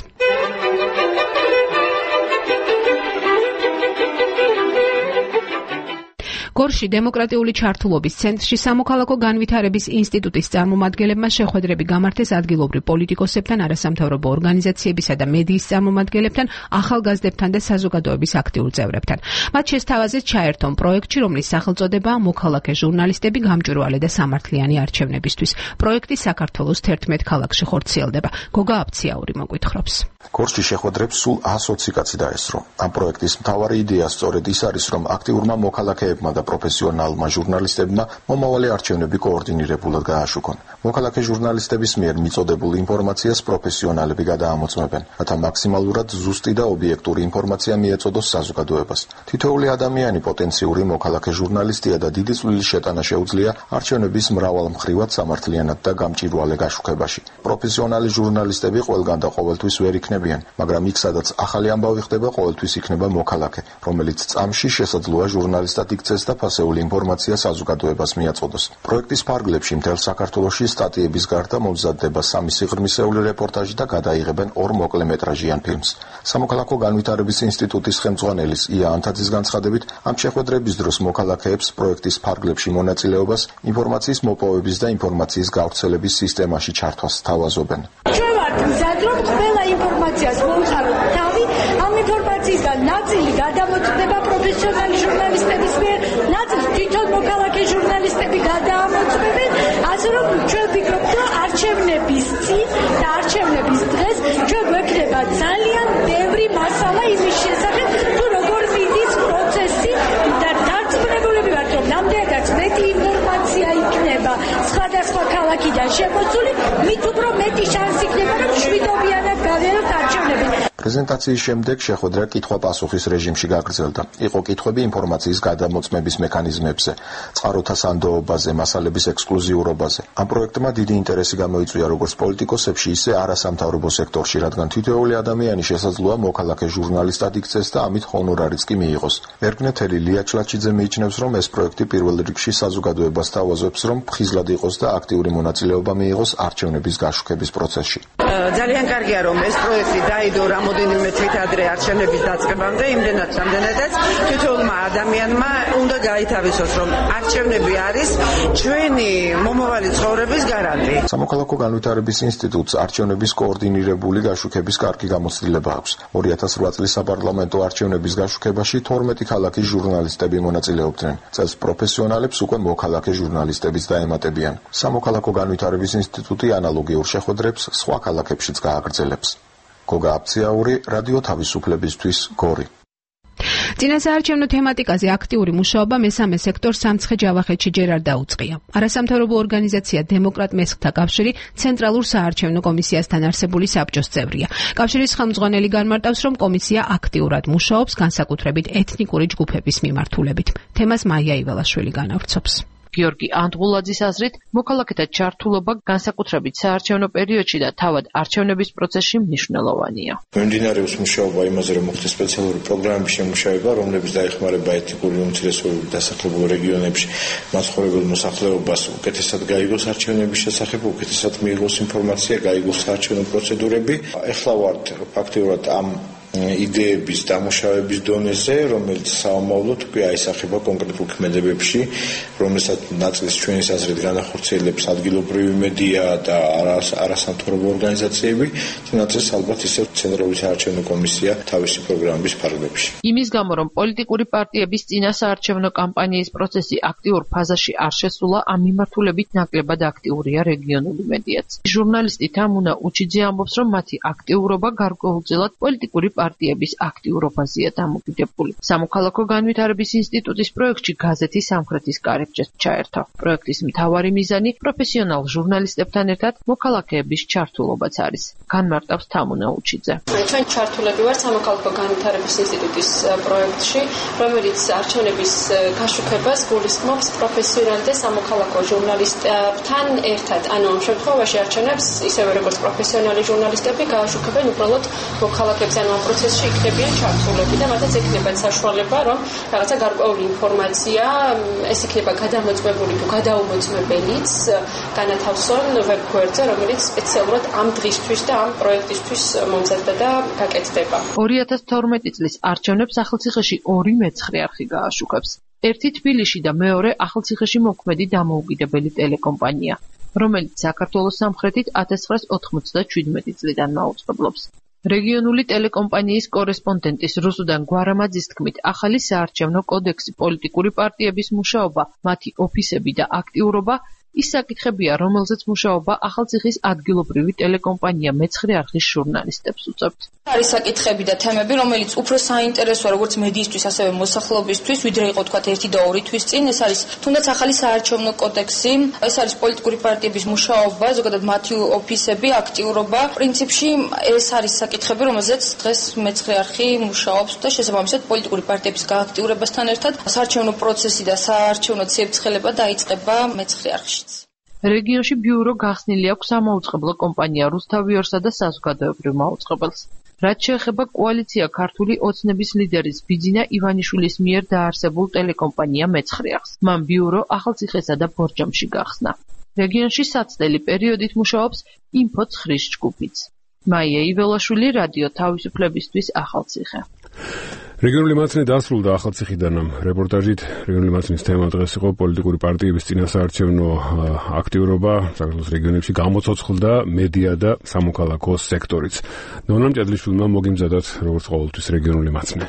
გორში დემოკრატიული ჩართულობის ცენტრში სამოქალაქო განვითარების ინსტიტუტის წარმომადგენლებმა შეხვედრები გამართეს ადგილობრივ პოლიტიკოსებთან, არასამთავრობო ორგანიზაციებისა და მედიის წარმომადგენლებთან, ახალგაზრდებთან და საზოგადოების აქტიურ წევრებთან. მათ შესთავაზეს ჩაერთონ პროექტში, რომლის სახელწოდებაა მოქალაქე ჟურნალისტები გამჭვირვალე და სამართლიანი არჩევნებისთვის. პროექტი საქართველოს თერთმეტ ქალაქში ხორციელდება. გოგა აფციაური მოგვითხრობს. გორში შეხვედრებს სულ ას ოცი კაცი დაესწრო. ამ პროექტის მთავარი იდეა სწორედ ის არის, რომ აქტიურმა მოქალაქეებმა და პროფესიონალმა ჟურნალისტებმა მომავალი არჩევნები კოორდინირებულად გააშუქონ. მოქალაქე ჟურნალისტების მიერ მიწოდებულ ინფორმაციას პროფესიონალები გადაამოწმებენ, რათა მაქსიმალურად ზუსტი და ობიექტური ინფორმაცია მიეწოდოს საზოგადოებას. თითოეული ადამიანი პოტენციური მოქალაქე ჟურნალისტია და დიდი წვლილი შეტანა შეუძლია არჩევნების მრავალმხრივად სამართლიანად და გამჭვირვალე გაშუქებაში. პროფესიონალი ჟურნალისტები ყველგან და ყოველთვის ვერ იქნებიან, მაგრამ იქ სადაც ახალი ამბავი ხდება, ყოველთვის იქნება მოქალაქე, რომელიც წამში შესაძლოა ჟურნალისტად იქცეს და ფასეული ინფორმაცია საზოგადოებას მიაწოდოს. პროექტის ფარგლებში მთელ საქართველოში სტატიების გარდა მომზადდება სამი სიღრმისეული რეპორტაჟი და გადაიღებენ ორ მოკლემეტრაჟიან ფილმს. სამოქალაქო განვითარების ინსტიტუტის ხელმძღვანელის ია ანთაძის განცხადებით, ამ შეხვედრების დროს მოქალაქეებს პროექტის ფარგლებში მონაწილეობას, ინფორმაციის მოპოვების და ინფორმაციის გავრცელების სისტემაში ჩართვას სთავაზობენ. ჩვენ ვართ მზად, რომ ყველა ინფორმაციას მოვხაროთ თავი, ამ ინფორმაციისგან ნაწილი გადამოწმდება პროფესიონალი ჟურნალისტების მიერ, ნაწილი თვითონ მოქალაქე ჟურნალისტები გადაამოწმებენ, ასე რომ ჩვენ ვფიქრობთ, რომ არჩევნების წინ და არჩევნების დღეს ჩვენ გვექნება ძალიან ბევრი მასალა იმის შესახებ, თუ როგორ მიდის პროცესი და დარწმუნებულები ვართ, რომ ნამდვილადაც მეტი ინფორმაცია იქნება სხვადასხვა ქალაქიდან შემოსული, მით უფრო მეტი შანსი იქნება, რომ შვიდობიანად გავიაროთ არჩევნები. პრეზენტაციის შემდეგ შეხვედრა კითხვა-პასუხის რეჟიმში გაგრძელდა. იყო კითხვები ინფორმაციის გადამოწმების მექანიზმებზე, წყაროთა სანდოობაზე, მასალების ექსკლუზიურობაზე. ამ პროექტმა დიდი ინტერესი გამოიწვია როგორც პოლიტიკოსებში, ისე არასამთავრობო სექტორში, რადგან თითოეული ადამიანი შესაძლოა მოქალაქე ჟურნალისტად იქცეს და ამით ჰონორარიც კი მიიღოს. ერგნეთელი ლია ჩლაჩიძე მიიჩნევს, რომ ეს პროექტი პირველ რიგში საზოგადოებას თავაზობს, რომ ფხიზლად იყოს და აქტიური მონაწილეობა მიიღოს არჩევნების გაშუქების პროცესში. ძალიან კარგია, რომ ეს პროექტი დაიდო რამოდენიმე თვით ადრე არჩევნების დაწყებამდე, იმდენად რამდენადაც თითოეულმა ადამიანმა უნდა გაითავისოს, რომ არჩევნები არის ჩვენი მომავალი ცხოვრების გარანტი. სამოქალაქო განვითარების ინსტიტუტს არჩევნების კოორდინირებული გაშუქების კარგი გამოცდილება აქვს. ორი ათას რვა წლის საპარლამენტო არჩევნების გაშუქებაში თორმეტი ქალაქის ჟურნალისტები მონაწილეობდნენ. წელს პროფესიონალებს უკვე მოქალაქე ჟურნალისტებიც დაემატებიან. სამოქალაქო განვითარების ინსტიტუტი ანალოგიურ შეხვედრებს სხვა ქალაქებშიც გააგრძელებს. გოგა აფციაური, რადიო თავისუფლებისთვის, გორი. წინასაარჩევნო თემატიკაზე აქტიური მუშაობა მესამე სექტორს სამცხე-ჯავახეთში ჯერ არ დაუწყია. არასამთავრობო ორგანიზაცია დემოკრატ მესხთა კავშირი ცენტრალურ საარჩევნო კომისიასთან არსებული საბჭოს წევრია. კავშირის ხელმძღვანელი განმარტავს, რომ კომისია აქტიურად მუშაობს განსაკუთრებით ეთნიკური ჯგუფების მიმართულებით. თემას მაია იველაშვილი განავრცობს. გიორგი ანდღულაძის აზრით, მოქალაქეთა ჩართულობა განსაკუთრებით საარჩევნო პერიოდში და თავად არჩევნების პროცესში მნიშვნელოვანია. მიმდინარეობს მუშაობა იმაზე, რომ მოხდეს სპეციალური პროგრამების შემუშავება, რომლებიც დაეხმარება ეთნიკური უმცირესობების დასახლებულ რეგიონებში მაცხოვრებელ მოსახლეობას უკეთესად გაიგოს არჩევნების შესახებ, უკეთესად მიიღოს ინფორმაცია, გაიგოს საარჩევნო პროცედურები. ეხლა ვართ ფაქტიურად ამ იდეების დამუშავების დონეზე, რომელიც საომავლოდ უკვე აისახება კონკრეტულ ქმედებებში, რომელსაც ნაწილს ჩვენი აზრით განახორციელებს ადგილობრივი მედია და არასამთავრობო ორგანიზაციები, და ნაწილს ალბათ ისევ ცენტრალური საარჩევნო კომისია თავისი პროგრამების ფარგლებში. იმის გამო, რომ პოლიტიკური პარტიების წინასაარჩევნო კამპანიის პროცესი აქტიურ ფაზაში არ შესულა, ამ მიმართულებით ნაკლებად აქტიურია რეგიონული მედიაც. ჟურნალისტი თამუნა უჩიძე ამბობს, რომ მათი აქტიურობა გარკვეულწილად პოლიტიკური პარტიების აქტიურობაზეა დამოკიდებული. სამოქალაქო განვითარების ინსტიტუტის პროექტში გაზეთი სამხრეთის კარიბჭეს ჩაერთო. პროექტის მთავარი მიზანი პროფესიონალ ჟურნალისტებთან ერთად მოქალაქეების ჩართულობაც არის. განმარტავს თამუნა უჩიძე. ჩვენ ჩართულები ვართ სამოქალაქო განვითარების ინსტიტუტის პროექტში, რომელიც არჩევნების გაშუქებას გულისხმობს პროფესიონალ და სამოქალაქო ჟურნალისტებთან ერთად. ანუ ამ შემთხვევაში არჩევნებს ისევე როგორც პროფესიონალი ჟურნალისტები გააშუქებენ უბრალოდ მოქალაქეებს, ანუ ამ პროცესში იქნებიან ჩართულები და მათაც ექნებათ საშუალება, რომ რაღაცა გარკვეული ინფორმაცია ეს იქნება გადამოწმებული თუ გადაუმოწმებელიც განათავსონ ვებგვერდზე, რომელიც სპეციალურად ამ დღისთვის და ამ პროექტისთვის მომზადდა და გაკეთდება. ორი ათას თორმეტი წლის არჩევნებს ახალციხეში ორი მეცხრე არხი გააშუქებს. ერთი თბილისში და მეორე ახალციხეში მოქმედი დამოუკიდებელი ტელეკომპანია, რომელიც საქართველოს სამხრეთით ათას ცხრაას ოთხმოცდაჩვიდმეტი წლიდან მაუწყებლობს. რეგიონული ტელეკომპანიის კორესპონდენტის რუსუდან გვარამაძის თქმით, ახალი საარჩევნო კოდექსი, პოლიტიკური პარტიების მუშაობა, მათი ოფისები და აქტიურობა ის საკითხებია, რომელზეც მუშაობა ახალციხის ადგილობრივი ტელეკომპანია მეცხრე არხის ჟურნალისტებს უწევთ. არის საკითხები და თემები, რომელიც უფრო საინტერესოა როგორც მედიისთვის, ასევე მოსახლეობისთვის, ვიდრე იყო თქვათ ერთი და ორი თვის წინ. ეს არის თუნდაც ახალი საარჩევნო კოდექსი, ეს არის პოლიტიკური პარტიების მუშაობა, ზოგადად მათი ოფისები, აქტიურობა. პრინციპში ეს არის საკითხები, რომელზეც დღეს მეცხრე არხი მუშაობს და შესაბამისად პოლიტიკური პარტიების გააქტიურებასთან ერთად საარჩევნო პროცესი და საარჩევნო ციებ-ცხელება დაიწყება მეცხრე არხში. რეგიონში ბიურო გახსნილი აქვს სამაუწყებლო კომპანია რუსთავიორსა და საზოგადოებრივ მაუწყებელს. რაც შეეხება კოალიცია ქართული ოცნების ლიდერის ბიძინა ივანიშვილის მიერ დაარსებულ ტელეკომპანია მეცხრე არხს. მან ბიურო ახალციხესა და ბორჯომში გახსნა. რეგიონში საცდელი პერიოდით მუშაობს ინფო ცხრის ჯგუფიც. მაია იველაშვილი, რადიო თავისუფლებისთვის, ახალციხე. რეგიონული მაცნე დასრულდა ახალციხიდან. რეპორტაჟით რეგიონული მაცნის თემა დღეს იყო პოლიტიკური პარტიების წინასაარჩევნო აქტიურობა საქართველოს რეგიონებში გამოცოცხლდა მედია და სამოქალაქო სექტორიც. ნონამ ჭედლიშვილმა მოგიმზადათ როგორც ყოველთვის რეგიონული მაცნე.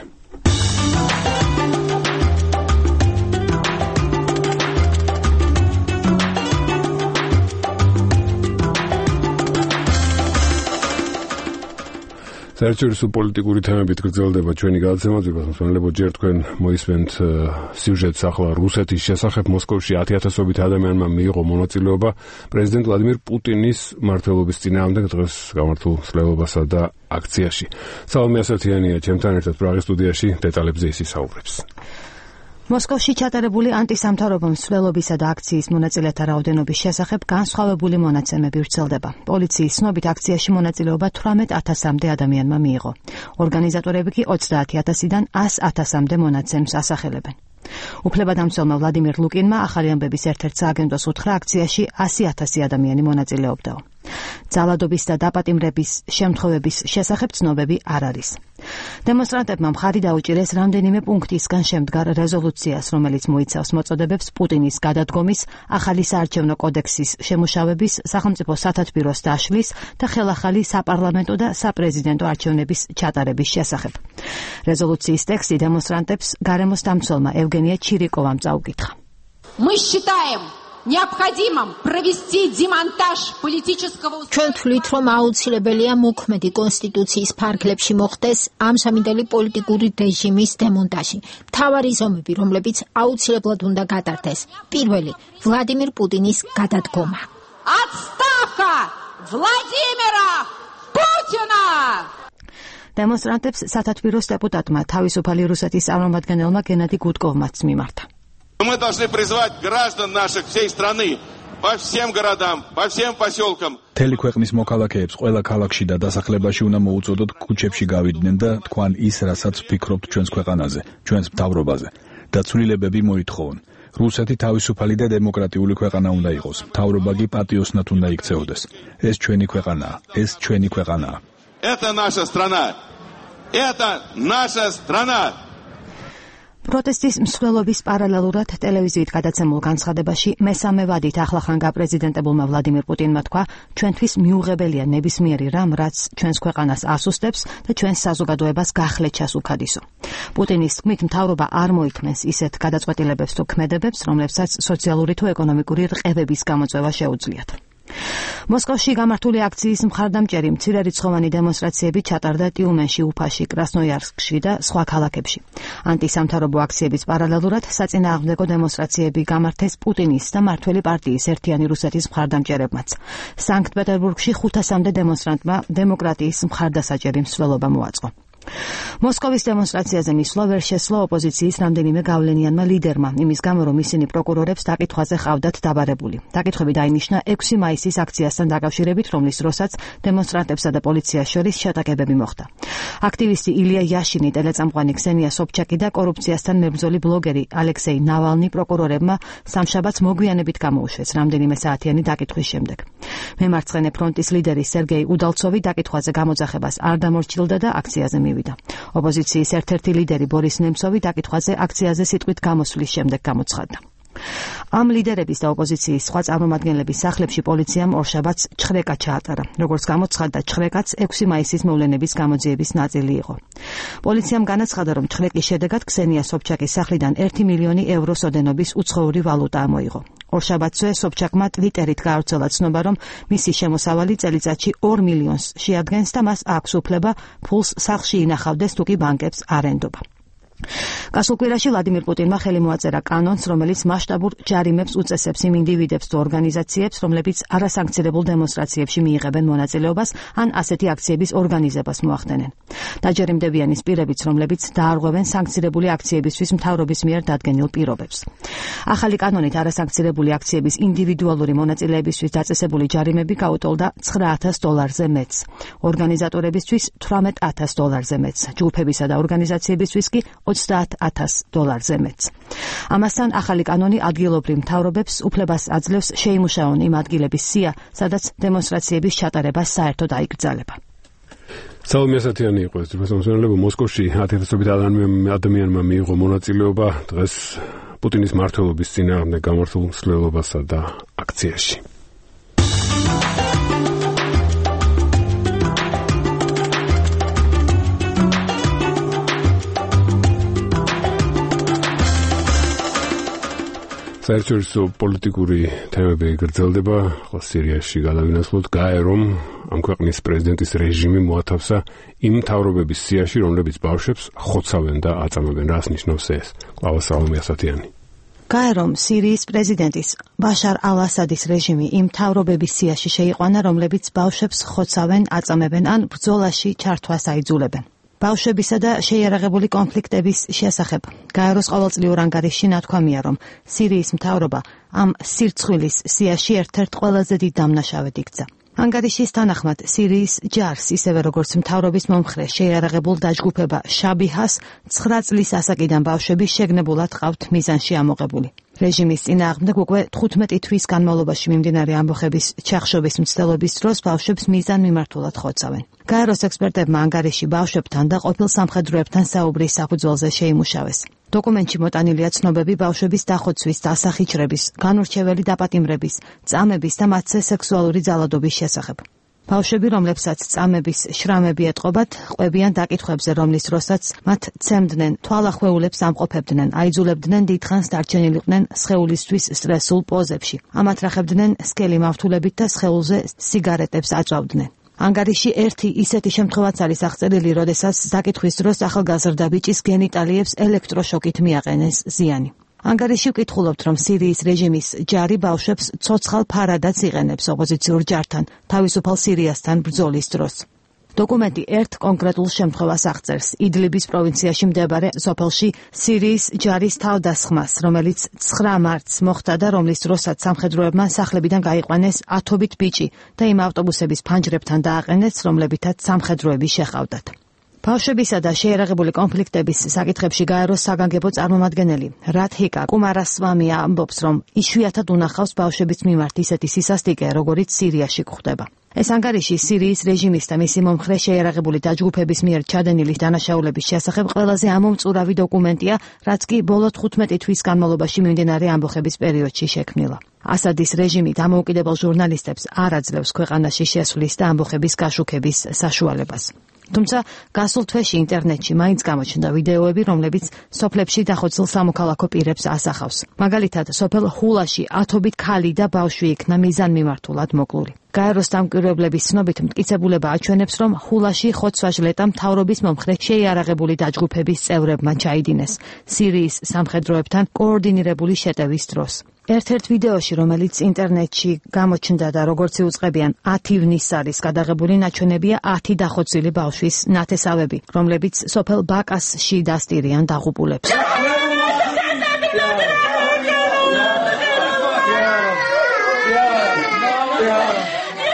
საერთაშორისო პოლიტიკური თემებით გრძელდება ჩვენი გადაცემა. ძვირფასმოსმენელებო, ჯერ თქვენ მოისმენთ სიუჟეტს ახლა რუსეთის შესახებ. მოსკოვში ათი ათასობით ადამიანმა მიიღო მონაწილეობა პრეზიდენტ ვლადიმირ პუტინის მმართველობის წინააღმდეგ დღეს გამართულ ცდილობასა და აქციაში. სალომე ასათიანია ჩემთან ერთად პრაღის სტუდიაში დეტალებზე ისაუბრებს. მოსკოვში ჩატარებული ანტისამთავრობო მსვლელობისა და აქციის მონაწილეთა რაოდენობის შესახებ განსხვავებული მონაცემები ვრცელდება. პოლიციის ცნობით აქციაში მონაწილეობა თვრამეტ ათასამდე ადამიანმა მიიღო. ორგანიზატორები კი ოცდაათი ათასიდან ას ათასამდე მონაცემს ასახელებენ. უფლებადამცველმა ვლადიმირ ლუკინმა ახალი ამბების ერთ-ერთ სააგენტოს უთხრა, აქციაში ასი ათასი ადამიანი მონაწილეობდაო. ძალადობის და დაპატიმრების შემთხვევების შესახებ ცნობები არ არის. დემონსტრანტებმა მხარი დაუჭირეს რამდენიმე პუნქტისგან შემდგარ რეზოლუციას, რომელიც მოიცავს მოწოდებებს პუტინის გადადგომის, ახალი საარჩევნო კოდექსის შემუშავების, სახელმწიფო სათათბიროს დაშლის და ხელახალი საპარლამენტო და საპრეზიდენტო არჩევნების ჩატარების შესახებ. რეზოლუციის ტექსტი დემონსტრანტებს გარემოს დამცველმა ევგენია ჩირიკოვამ წაუკითხა. Мы считаем необходимым провести демонтаж политического. ჩვენ თვლით, რომ აუცილებელია მოქმედი კონსტიტუციის ფარგლებში მოხდეს ამჟამინდელი პოლიტიკური რეჟიმის დემონტაჟი. მთავარი ზომები, რომლებიც აუცილებლად უნდა გატარდეს. პირველი, ვლადიმირ პუტინის გადადგომა. Отставка Владимира Путина! დემონსტრანტებს სათათბიროს დეპუტატმა თავისუფალი რუსეთის წარმომადგენელმა გენადი გუდკოვმაც მიმართა. Мы должны призвать граждан наших всей страны по всем городам, по всем поселкам. მთელი ქვეყნის მოქალაქეებს ყველა ქალაქში და დასახლებაში უნდა მოუწოდოთ ქუჩებში გავიდნენ და თქვან ის, რასაც ვფიქრობთ ჩვენს ქვეყანაზე, ჩვენს მთავრობაზე. და ცვლილებები მოითხოვონ. რუსეთი თავისუფალი და დემოკრატიული ქვეყანა უნდა იყოს. მთავრობა კი პატიოსნად უნდა იქცეოდეს. ეს ჩვენი ქვეყანაა, ეს ჩვენი ქვეყანაა. Это наша страна. Это наша страна. პროტესტის მსვლელობის პარალელურად ტელევიზიით გადაცემულ განცხადებაში მესამე ვადით ახლახან გაპრეზიდენტებულმა ვლადიმირ პუტინმა თქვა, ჩვენთვის მიუღებელია ნებისმიერი რამ, რაც ჩვენს ქვეყანას ასუსტებს და ჩვენს საზოგადოებას გახლეჩას უქადისო. პუტინის თქმით, მთავრობა არ მოითმენს ისეთ გადაწყვეტილებებს თუ ქმედებებს, რომლებსაც სოციალური თუ ეკონომიკური რყევების გამოწვევა შეუძლიათ. მოსკოვში გამართული აქციის მხარდამჭერი მცირერიცხოვანი დემონსტრაციები ჩატარდა ტიუმენში, უფაში, კრასნოიარსკში და სხვა ქალაქებში. ანტისამთავრობო აქციების პარალელურად საწინააღმდეგო დემონსტრაციები გამართეს პუტინის და მმართველი პარტიის ერთიანი რუსეთის მხარდამჭერებმაც. სანქტ-პეტერბურგში ხუთასამდე დემონსტრანტმა დემოკრატიის მხარდასაჭერი მსვლელობა მოაწყო. მოსკოვის დემონსტრაციაზე მისვლა ვერ შესვლა ოპოზიციის რამდენიმე გავლენიანმა ლიდერმა, იმის გამო რომ ისინი პროკურორებს დაკითხვაზე ყავდათ დაბარებული. დაკითხვები დაინიშნა ექვსი მაისის აქციასთან დაკავშირებით, რომლის დროსაც დემონსტრანტებსა და პოლიციას შორის შეტაკებები მოხდა. აქტივისტი ილია იაშინი, ტელეწამყვანი ქსენია სობჩაკი და კორუფციასთან მებრძოლი ბლოგერი ალექსეი ნავალნი პროკურორებმა სამშაბათს მოგვიანებით გამოუშვეს რამდენიმე საათიანი დაკითხვის შემდეგ. მემარცხენე ფრონტის ლიდერი სერგეი უდალცოვი დაკითხვაზე გამოძახებას არ დამორჩილდა და აქციაზე მივიდა. ოპოზიციის ერთ-ერთი ლიდერი ბორის ნემცოვი დაკითხვაზე აქციაზე სიტყვით გამოსვლის შემდეგ გამოცხადდა. ამ ლიდერების და ოპოზიციის სხვა წარმომადგენლების სახლებში პოლიციამ ორშაბათს ჩხრეკა ჩაატარა. როგორც გამოცხადდა, ჩხრეკაც ექვსი მაისის მოვლენების გამოძიების ნაწილი იყო. პოლიციამ განაცხადა, რომ ჩხრეკის შედეგად ქსენია სობჩაკის სახლიდან ერთი მილიონი ევროს ოდენობის უცხოური ვალუტა ამოიღო. ორშაბათზე სობჩაკმა ტვიტერით გაავრცელა ცნობა, რომ მისი შემოსავალი წელიწადში ორ მილიონს შეადგენს და მას აქვს უფლება ფულს სახლში ინახავდეს თუ კი ბანკებს არ ენდობა. გასულ კვირაში ვლადიმირ პუტინმა ხელი მოაწერა კანონს, რომელიც მასშტაბურ ჯარიმებს უწესებს იმ ინდივიდებს თუ ორგანიზაციებს, რომლებიც არასანქცირებულ დემონსტრაციებში მიიღებენ მონაწილეობას ან ასეთი აქციების ორგანიზებას მოახდენენ. დაჯერიმდებიან ის პირებიც, რომლებიც დაარღვევენ სანქცირებული აქციებისთვის მთავრობის მიერ დადგენილ პირობებს. ახალი კანონით არასანქცირებული აქციების ინდივიდუალური მონაწილეებისთვის დაწესებული ჯარიმები გაუტოლდა ცხრა ათას დოლარზე მეტს, ორგანიზატორებისთვის თვრამეტ ათას დოლარზე მეტს, ჯგუფებისა და ორგანიზაციებისთვის კი ოცდაათ ათას დოლარზე მეტს. ამასთან ახალი კანონი ადგილობრივ მთავრობებს უფლებას აძლევს შეიმუშაონ იმ ადგილების სია, სადაც დემონსტრაციების ჩატარება საერთოდ აიკრძალება. სალომე ასათიანი იყო ეს მოსახლეობა მოსკოვში ათასობით ადამიანმა მიიღო მონაწილეობა დღეს პუტინის მმართველობის წინააღმდეგ გამართულ მსვლელობასა და აქციაში. საერთაშორისო პოლიტიკური თემები გრძელდება, ხოლო სირიაში გადავინაცვლოთ გაე, რომ ამ ქვეყნის პრეზიდენტის რეჟიმი მოათავსა იმ მთავრობების სიაში, რომლებიც ბავშვებს ხოცავენ და აწამებენ. რას ნიშნავს ეს? კლავა სალომე ასათიანი. გაე, რომ სირიის პრეზიდენტის ბაშარ ალ-ასადის რეჟიმი იმ მთავრობების სიაში შეიყვანა, რომლებიც ბავშვებს ხოცავენ, აწამებენ ან ბრძოლაში ჩართვას აიძულებენ. ბავშვებისა და შეიარაღებული კონფლიქტების შესახებ გაეროს ყოველწლიურ ანგარიშში ნათქვამია, რომ სირიის მთავრობა ამ სირცხვილის სიაში ერთ-ერთ ყველაზე დიდ დამნაშავედ იქცა. ანგარიშის თანახმად სირიის ჯარს, ისევე როგორც მთავრობის მომხრე შეიარაღებულ დაჯგუფება შაბიჰას ცხრა წლის ასაკიდან ბავშვები შეგნებულად ყავთ მიზანში ამოღებული. რეჟიმის წინააღმდეგ უკვე თხუთმეტი თვის განმავლობაში მიმდინარე ამბოხების ჩახშობის მცდელობის დროს ბავშვებს მიზანმიმართულად ხოცავენ. გაეროს ექსპერტებმა ანგარიში ბავშვებთან და ყოფილ სამხედროებთან საუბრის საფუძველზე შეიმუშავეს. დოკუმენტში მოტანილია ცნობები ბავშვების დახოცვის, დასახიჩრების, განურჩეველი დაპატიმრების, წამების და მათზე სექსუალური ძალადობის შესახებ. ბავშვები, რომლებსაც წამების შრამები ეტყობათ, ყვებიან დაკითხვებზე, რომლის დროსაც მათ ცემდნენ, თვალახვეულებს ამყოფებდნენ, აიძულებდნენ დიდხანს დარჩენილიყვნენ სხეულისთვის სტრესულ პოზებში, ამათრახებდნენ სკელი მავთულებით და სხეულზე სიგარეტებს აწვავდნენ. ანგარიში ერთი ისეთი შემთხვევაც არის აღწერილი, როდესაც დაკითხვის დროს ახალგაზრდა ბიჭის გენიტალიებს ელექტროშოკით მიაყენეს ზიანი. ანგარიში ვკითხულობთ, რომ სირიის რეჟიმის ჯარი ბავშვებს ცოცხალ ფარადაც იყენებს ოპოზიციურ ჯართან, თავისუფალ სირიასთან ბრძოლის დროს. დოკუმენტი ერთ კონკრეტულ შემთხვევას აღწერს, იდლიბის პროვინციაში მდებარე სოფელში სირიის ჯარის თავდასხმას, რომელიც ცხრა მარტს მოხდა და რომლის დროსაც სამხედროებმა სახლებიდან გაიყვანეს ათობით ბიჭი და იმ ავტობუსების ფანჯრებთან დააყენეს, რომლებითაც სამხედროები შეჰყავდათ. ბავშვებისა და შეიარაღებული კონფლიქტების საკითხებში გაეროს საგანგებო წარმომადგენელი რათჰიკა კუმარასვამია ამბობს, რომ იშვიათად უნახავს ბავშვების მიმართ ისეთი სისასტიკე, როგორიც სირიაში გვხდება. ეს ანგარიში სირიის რეჟიმის და მისი მომხრე შეიარაღებული დაჯგუფების მიერ ჩადენილი დანაშაულების შესახებ ყველაზე ამომწურავი დოკუმენტია, რაც კი ბოლო თხუთმეტი თვის განმავლობაში მიმდინარე ამბოხების პერიოდში შექმნილა. ასადის რეჟიმი დამოუკიდებელ ჟურნალისტებს არ აძლევს ქვეყანაში შესვლის და ამბოხების გაშუქების საშუალებას. თუმცა გასულ თვეში ინტერნეტში მაინც გამოჩნდა ვიდეოები, რომლებიც სოფლებში დახოცილ სამოქალაქო პირებს ასახავს. მაგალითად, სოფელ ჰულაში ათობით ქალი და ბავშვი იქნა მიზანმიმართულად მოკლული. გაეროს დამკვირვებლების ცნობით მტკიცებულება აჩვენებს, რომ ხულაში ხოცვა-ჟლეტა მთავრობის მომხრე შეიარაღებული დაჯგუფების წევრებმა ჩაიდინეს სირიის სამხედროებთან კოორდინირებული შეტევის დროს. ერთ-ერთ ვიდეოში, რომელიც ინტერნეტში გამოჩნდა და როგორც იუწყებიან ათი ივნის არის გადაღებული, ნაჩვენებია ათი დახოცილი ბავშვის ნათესავები, რომლებიც სოფელ ბაკასში დასტირიან დაღუპულებს.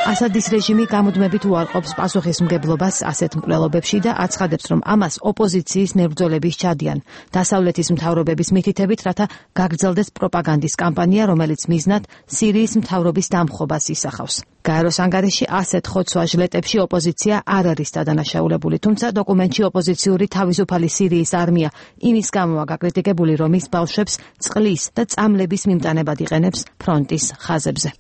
ასადის რეჟიმი გამუდმებით უარყოფს პასუხისმგებლობას ასეთ მკვლელობებში და აცხადებს, რომ ამას ოპოზიციის მებრძოლების ჩადიან დასავლეთის მთავრობების მითითებით, რათა გაგრძელდეს პროპაგანდის კამპანია, რომელიც მიზნად სირიის მთავრობის დამხობას ისახავს. გაეროს ანგარიში ასეთ ხოცვა-ჟლეტებში ოპოზიცია არ არის დადანაშაულებული, თუმცა დოკუმენტში ოპოზიციური თავისუფალი სირიის არმია იმის გამოა გაკრიტიკებული, რომ ის ბავშვებს წყლის და წამლების მიმტანებად იყენებს ფრონტის ხაზებზე.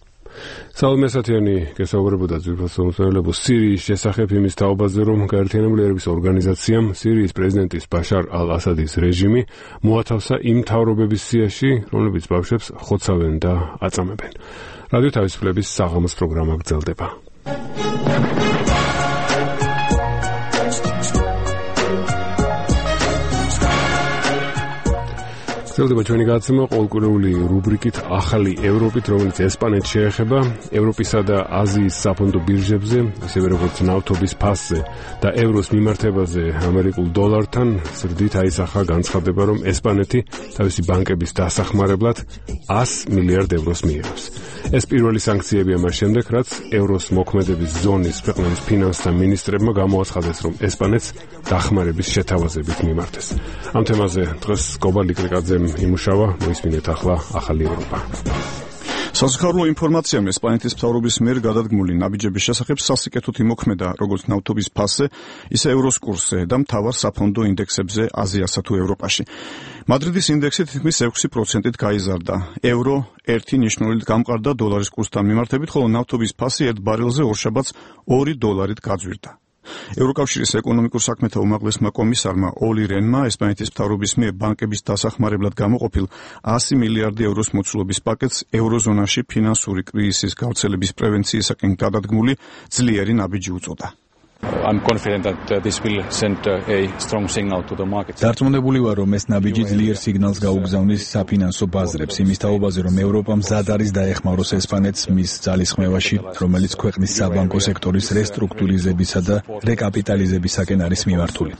საუბრობთ სათიანი გესაუბრებოდა ძვირფასმომცემლებო სირიის შესახებ იმის თაობაზე, რომ გაერთიანებული ერების ორგანიზაციამ სირიის პრეზიდენტის ბაშარ ალ-ასადის რეჟიმი მოათავსა იმ მთავრობების სიაში, რომლებიც ბავშვებს ხოცავენ და აწამებენ. რადიო თავისუფლების საღამოს პროგრამა გრძელდება. გრძელდება ჩვენი გადაცემა ყოველკვირეული რუბრიკით ახალი ევროპით, რომელიც ესპანეთს შეეხება. ევროპისა და აზიის საფონდო ბირჟებზე, ისევე როგორც ნავთობის ფასზე და ევროს მიმართებაზე ამერიკულ დოლართან ზრდით აისახა განცხადება, რომ ესპანეთი თავისი ბანკების დასახმარებლად ას მილიარდ ევროს მიიღებს. ეს პირველი სანქციებია მას შემდეგ, რაც ევროს მოქმედების ზონის ქვეყნების ფინანსთა მინისტრებმა გამოაცხადეს, რომ ესპანეთს დახმარების შეთავაზებით მიმართეს. ამ თემაზე დღეს გობალი კრიკაძემ იმუშავა, მოისმინეთ ახლა ახალი ევროპა. საზღვაო ინფორმაციამ ესპანეთის მთავრობის მიერ გადადგმული ნაბიჯების შესახებ სასიკეთოდ იმოქმედა როგორც ნავთობის ფასზე, ისე ევროს კურსზე და მთავარ საფონდო ინდექსებზე აზიასა თუ ევროპაში. მადრიდის ინდექსი თითქმის ექვსი პროცენტით გაიზარდა. ევრო ერთი ნიშნულით გამყარდა დოლარის კურსთან მიმართებით, ხოლო ნავთობის ფასი ერთ ბარელზე ორშაბათს ორი დოლარით გაძვირდა. ევროკავშირის ეკონომიკურ საქმეთა უმაღლესმა კომისარმა ოლი რენმა ესპანეთის მთავრობის მიერ ბანკების დასახმარებლად გამოყოფილ ასი მილიარდი ევროს მოცულობის პაკეტს ევროზონაში ფინანსური კრიზისის გავრცელების პრევენციისაკენ გადადგმული ძლიერი ნაბიჯი უწოდა. I'm confident that uh, this will send uh, a strong signal to the market. დარწმუნებული ვარ, რომ ეს ნაბიჯი ძლიერ სიგნალს გაუგზავნის საფინანსო ბაზრებს იმის თაობაზე, რომ ევროპა მზად არის დაეხმაროს ესპანეთს მის ძალისხმევაში, რომელიც ქვეყნის საბანკო სექტორის რესტრუქტურიზებისა და რეკაპიტალიზებისაკენ არის მიმართული.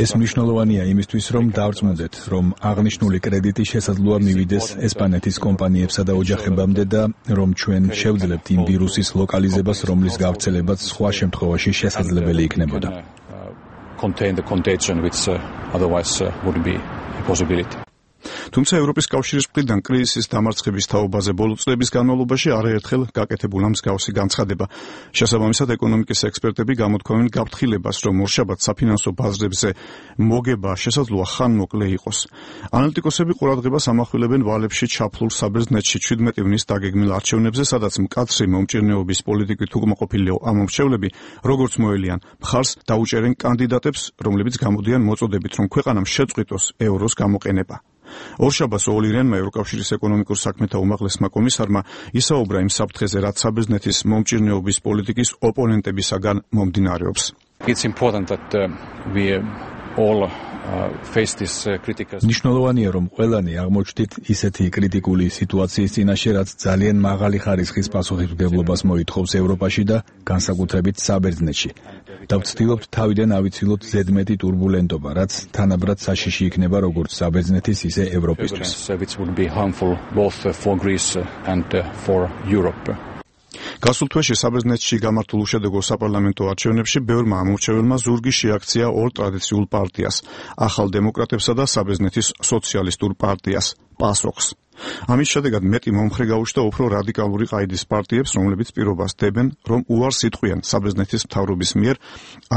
ეს მნიშვნელოვანია იმისთვის, რომ დავწმუნდეთ, რომ აღნიშნული კრედიტი შესაძლოა მივიდეს ესპანეთის კომპანიებსა და ოჯახებამდე და რომ ჩვენ შევძლებთ იმ ვირუსის ლოკალიზებას, რომლის გავრცელებაც სხვა შემთხვევაში შესაძლებელი იქნებოდა. Contain the contagion which uh, otherwise uh, would be a possibility. თუმცა ევროპის კავშირის მხრიდან კრიზისის დამარცხების თაობაზე ბოლო წლების განმავლობაში არაერთხელ გაკეთებულა მსგავსი განცხადება. შესაბამისად, ეკონომიკის ექსპერტები გამოთქვამენ გაფრთხილებას, რომ ორშაბათს საფინანსო ბაზრებზე მოგება შესაძლოა ხანმოკლე იყოს. ანალიტიკოსები ყურადღებას ამახვილებენ ვალებში ჩაფლულ საბერძნეთში შვიდმეტი ივნის დაგეგმილ არჩევნებზე, სადაც მკაცრი მომჭირნეობის პოლიტიკით უკმაყოფილი ამომრჩევლები, როგორც მოელიან, მხარს დაუჭერენ კანდიდატებს, რომლებიც გამოდიან მოწოდებით, რომ ქვეყანამ შეწყვიტოს ევროს გამოყენება. ორშაბათს ოლი რენმა ევროკავშირის ეკონომიკურ საქმეთა უმაღლესმა კომისარმა ისაუბრა იმ საფრთხეზე, რაც საბერძნეთის მომჭირნეობის პოლიტიკის ოპონენტებისაგან მომდინარეობს. It's important that uh, we all მნიშვნელოვანია, რომ ყველანი აღმოჩნდით ისეთი კრიტიკული სიტუაციის წინაშე, რაც ძალიან მაღალი ხარისხის პასუხისმგებლობას მოითხოვს ევროპაში და განსაკუთრებით საბერძნეთში. და ვცდილობთ თავიდან ავიცილოთ ზედმეტი ტურბულენტობა, რაც თანაბრად საშიში იქნება როგორც საბერძნეთის, ისე ევროპისთვის. გასულ თვეში საბერძნეთში გამართულ უშედეგო საპარლამენტო არჩევნებში ბევრმა ამორჩეველმა ზურგი შეაქცია ორ ტრადიციულ პარტიას, ახალ დემოკრატებსა და საბერძნეთის სოციალისტურ პარტიას, პასოქს. ამის შედეგად მეტი მომხრე გაუჩნდა უფრო რადიკალური ყაიდის პარტიებს, რომლებიც პირობას დებენ, რომ უარს იტყვიან საბერძნეთის მთავრობის მიერ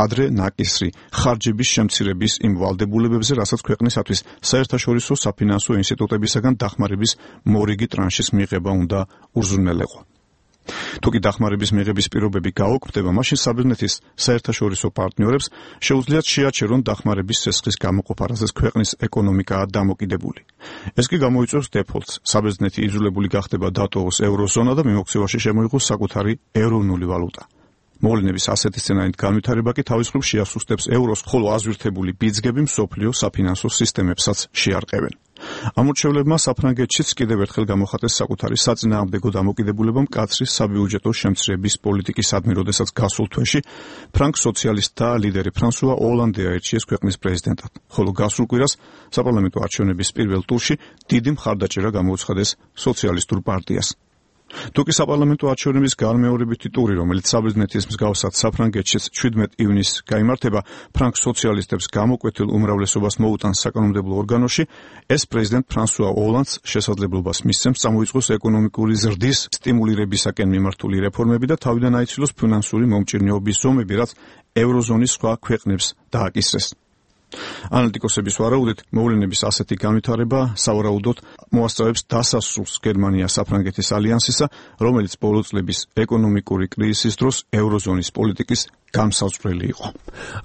ადრე ნაკისრი ხარჯების შემცირების იმ ვალდებულებებზე, რასაც ქვეყნისათვის საერთაშორისო საფინანსო ინსტიტუტებისაგან დახმარების მორიგი ტრანშის მიღება უნდა უზრუნველეყო. თუ კი დახმარების მიღების პირობები გაუქმდება, მაშინ საბერძნეთის საერთაშორისო პარტნიორებს შეუძლიათ შეაჩერონ დახმარების სესხის გამოყოფა, რაზეც ქვეყნის ეკონომიკაა დამოკიდებული. ეს კი გამოიწვევს დეფოლტს. საბერძნეთი იძულებული გახდება დატოვოს ევროზონა და მიმოქცევაში შემოიღოს საკუთარი ეროვნული ვალუტა. მოვლენების ასეთი სცენარით განვითარება კი თავის მხრივ შეასუსტებს ევროს, ხოლო აზვირთებული ბიძგები მსოფლიო საფინანსო სისტემებსაც შეარყევენ. ამორჩევლებმა საფრანგეთშიც კიდევ ერთხელ გამოხატეს საკუთარი საწინააღმდეგო დამოკიდებულება მკაცრი საბიუჯეტო შემცირების პოლიტიკისადმი, როდესაც გასულ თვეში ფრანგ სოციალისტთა ლიდერი ფრანსუა ოლანდე აირჩიეს ქვეყნის პრეზიდენტად, ხოლო გასულ კვირას საპარლამენტო არჩევნების პირველ ტურში დიდი მხარდაჭერა გამოუცხადეს სოციალისტურ პარტიას. თუკი საპარლამენტო არჩევნების განმეორებითი ტური, რომელიც საბერძნეთის მსგავსად საფრანგეთშიც შვიდმეტ ივნისს გაიმართება, ფრანგ სოციალისტებს გამოკვეთილ უმრავლესობას მოუტანს საკანონმდებლო ორგანოში, ეს პრეზიდენტ ფრანსუა ოლანდს შესაძლებლობას მისცემს წამოიწყოს ეკონომიკური ზრდის სტიმულირებისაკენ მიმართული რეფორმები და თავიდან აიცილოს ფინანსური მომჭირნეობის ზომები, რაც ევროზონის სხვა ქვეყნებს დააკისრეს. ანალიტიკოსების ვარაუდით, მოვლენების ასეთი განვითარება სავარაუდოდ მოასწავებს დასასრულს გერმანია-საფრანგეთის ალიანსისა, რომელიც ბოლო წლების ეკონომიკური კრიზისის დროს ევროზონის პოლიტიკის გამსაზღვრელი იყო.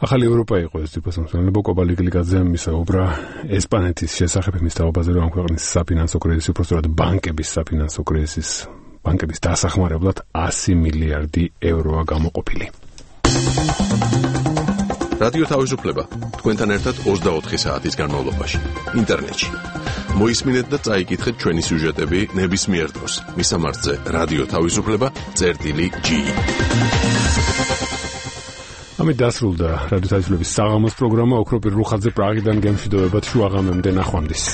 ახალი ევროპა იყო ეს ტიპის მოსახლეობა კობალიგლიკაძე მისაუბრა ესპანეთის შესახებ, მის თაობაზე, რომ ქვეყნის საფინანსო კრიზისი, უბრალოდ ბანკების საფინანსო კრიზისის, ბანკების დასახმარებლად ასი მილიარდი ევროა გამოყოფილი. რადიო თავისუფლება თქვენთან ერთად ოცდაოთხი საათის განმავლობაში ინტერნეტში. მოისმინეთ და წაიკითხეთ ჩვენი სიუჟეტები ნებისმიერ დროს მისამართზე რადიო თავისუფლება წერტილი ჯი. ამით დასრულდა რადიო თავისუფლების საღამოს პროგრამა. ოქროპირ რუხაძე პრაღიდან გემშვიდობებათ შუაღამემდე ნახვამდის.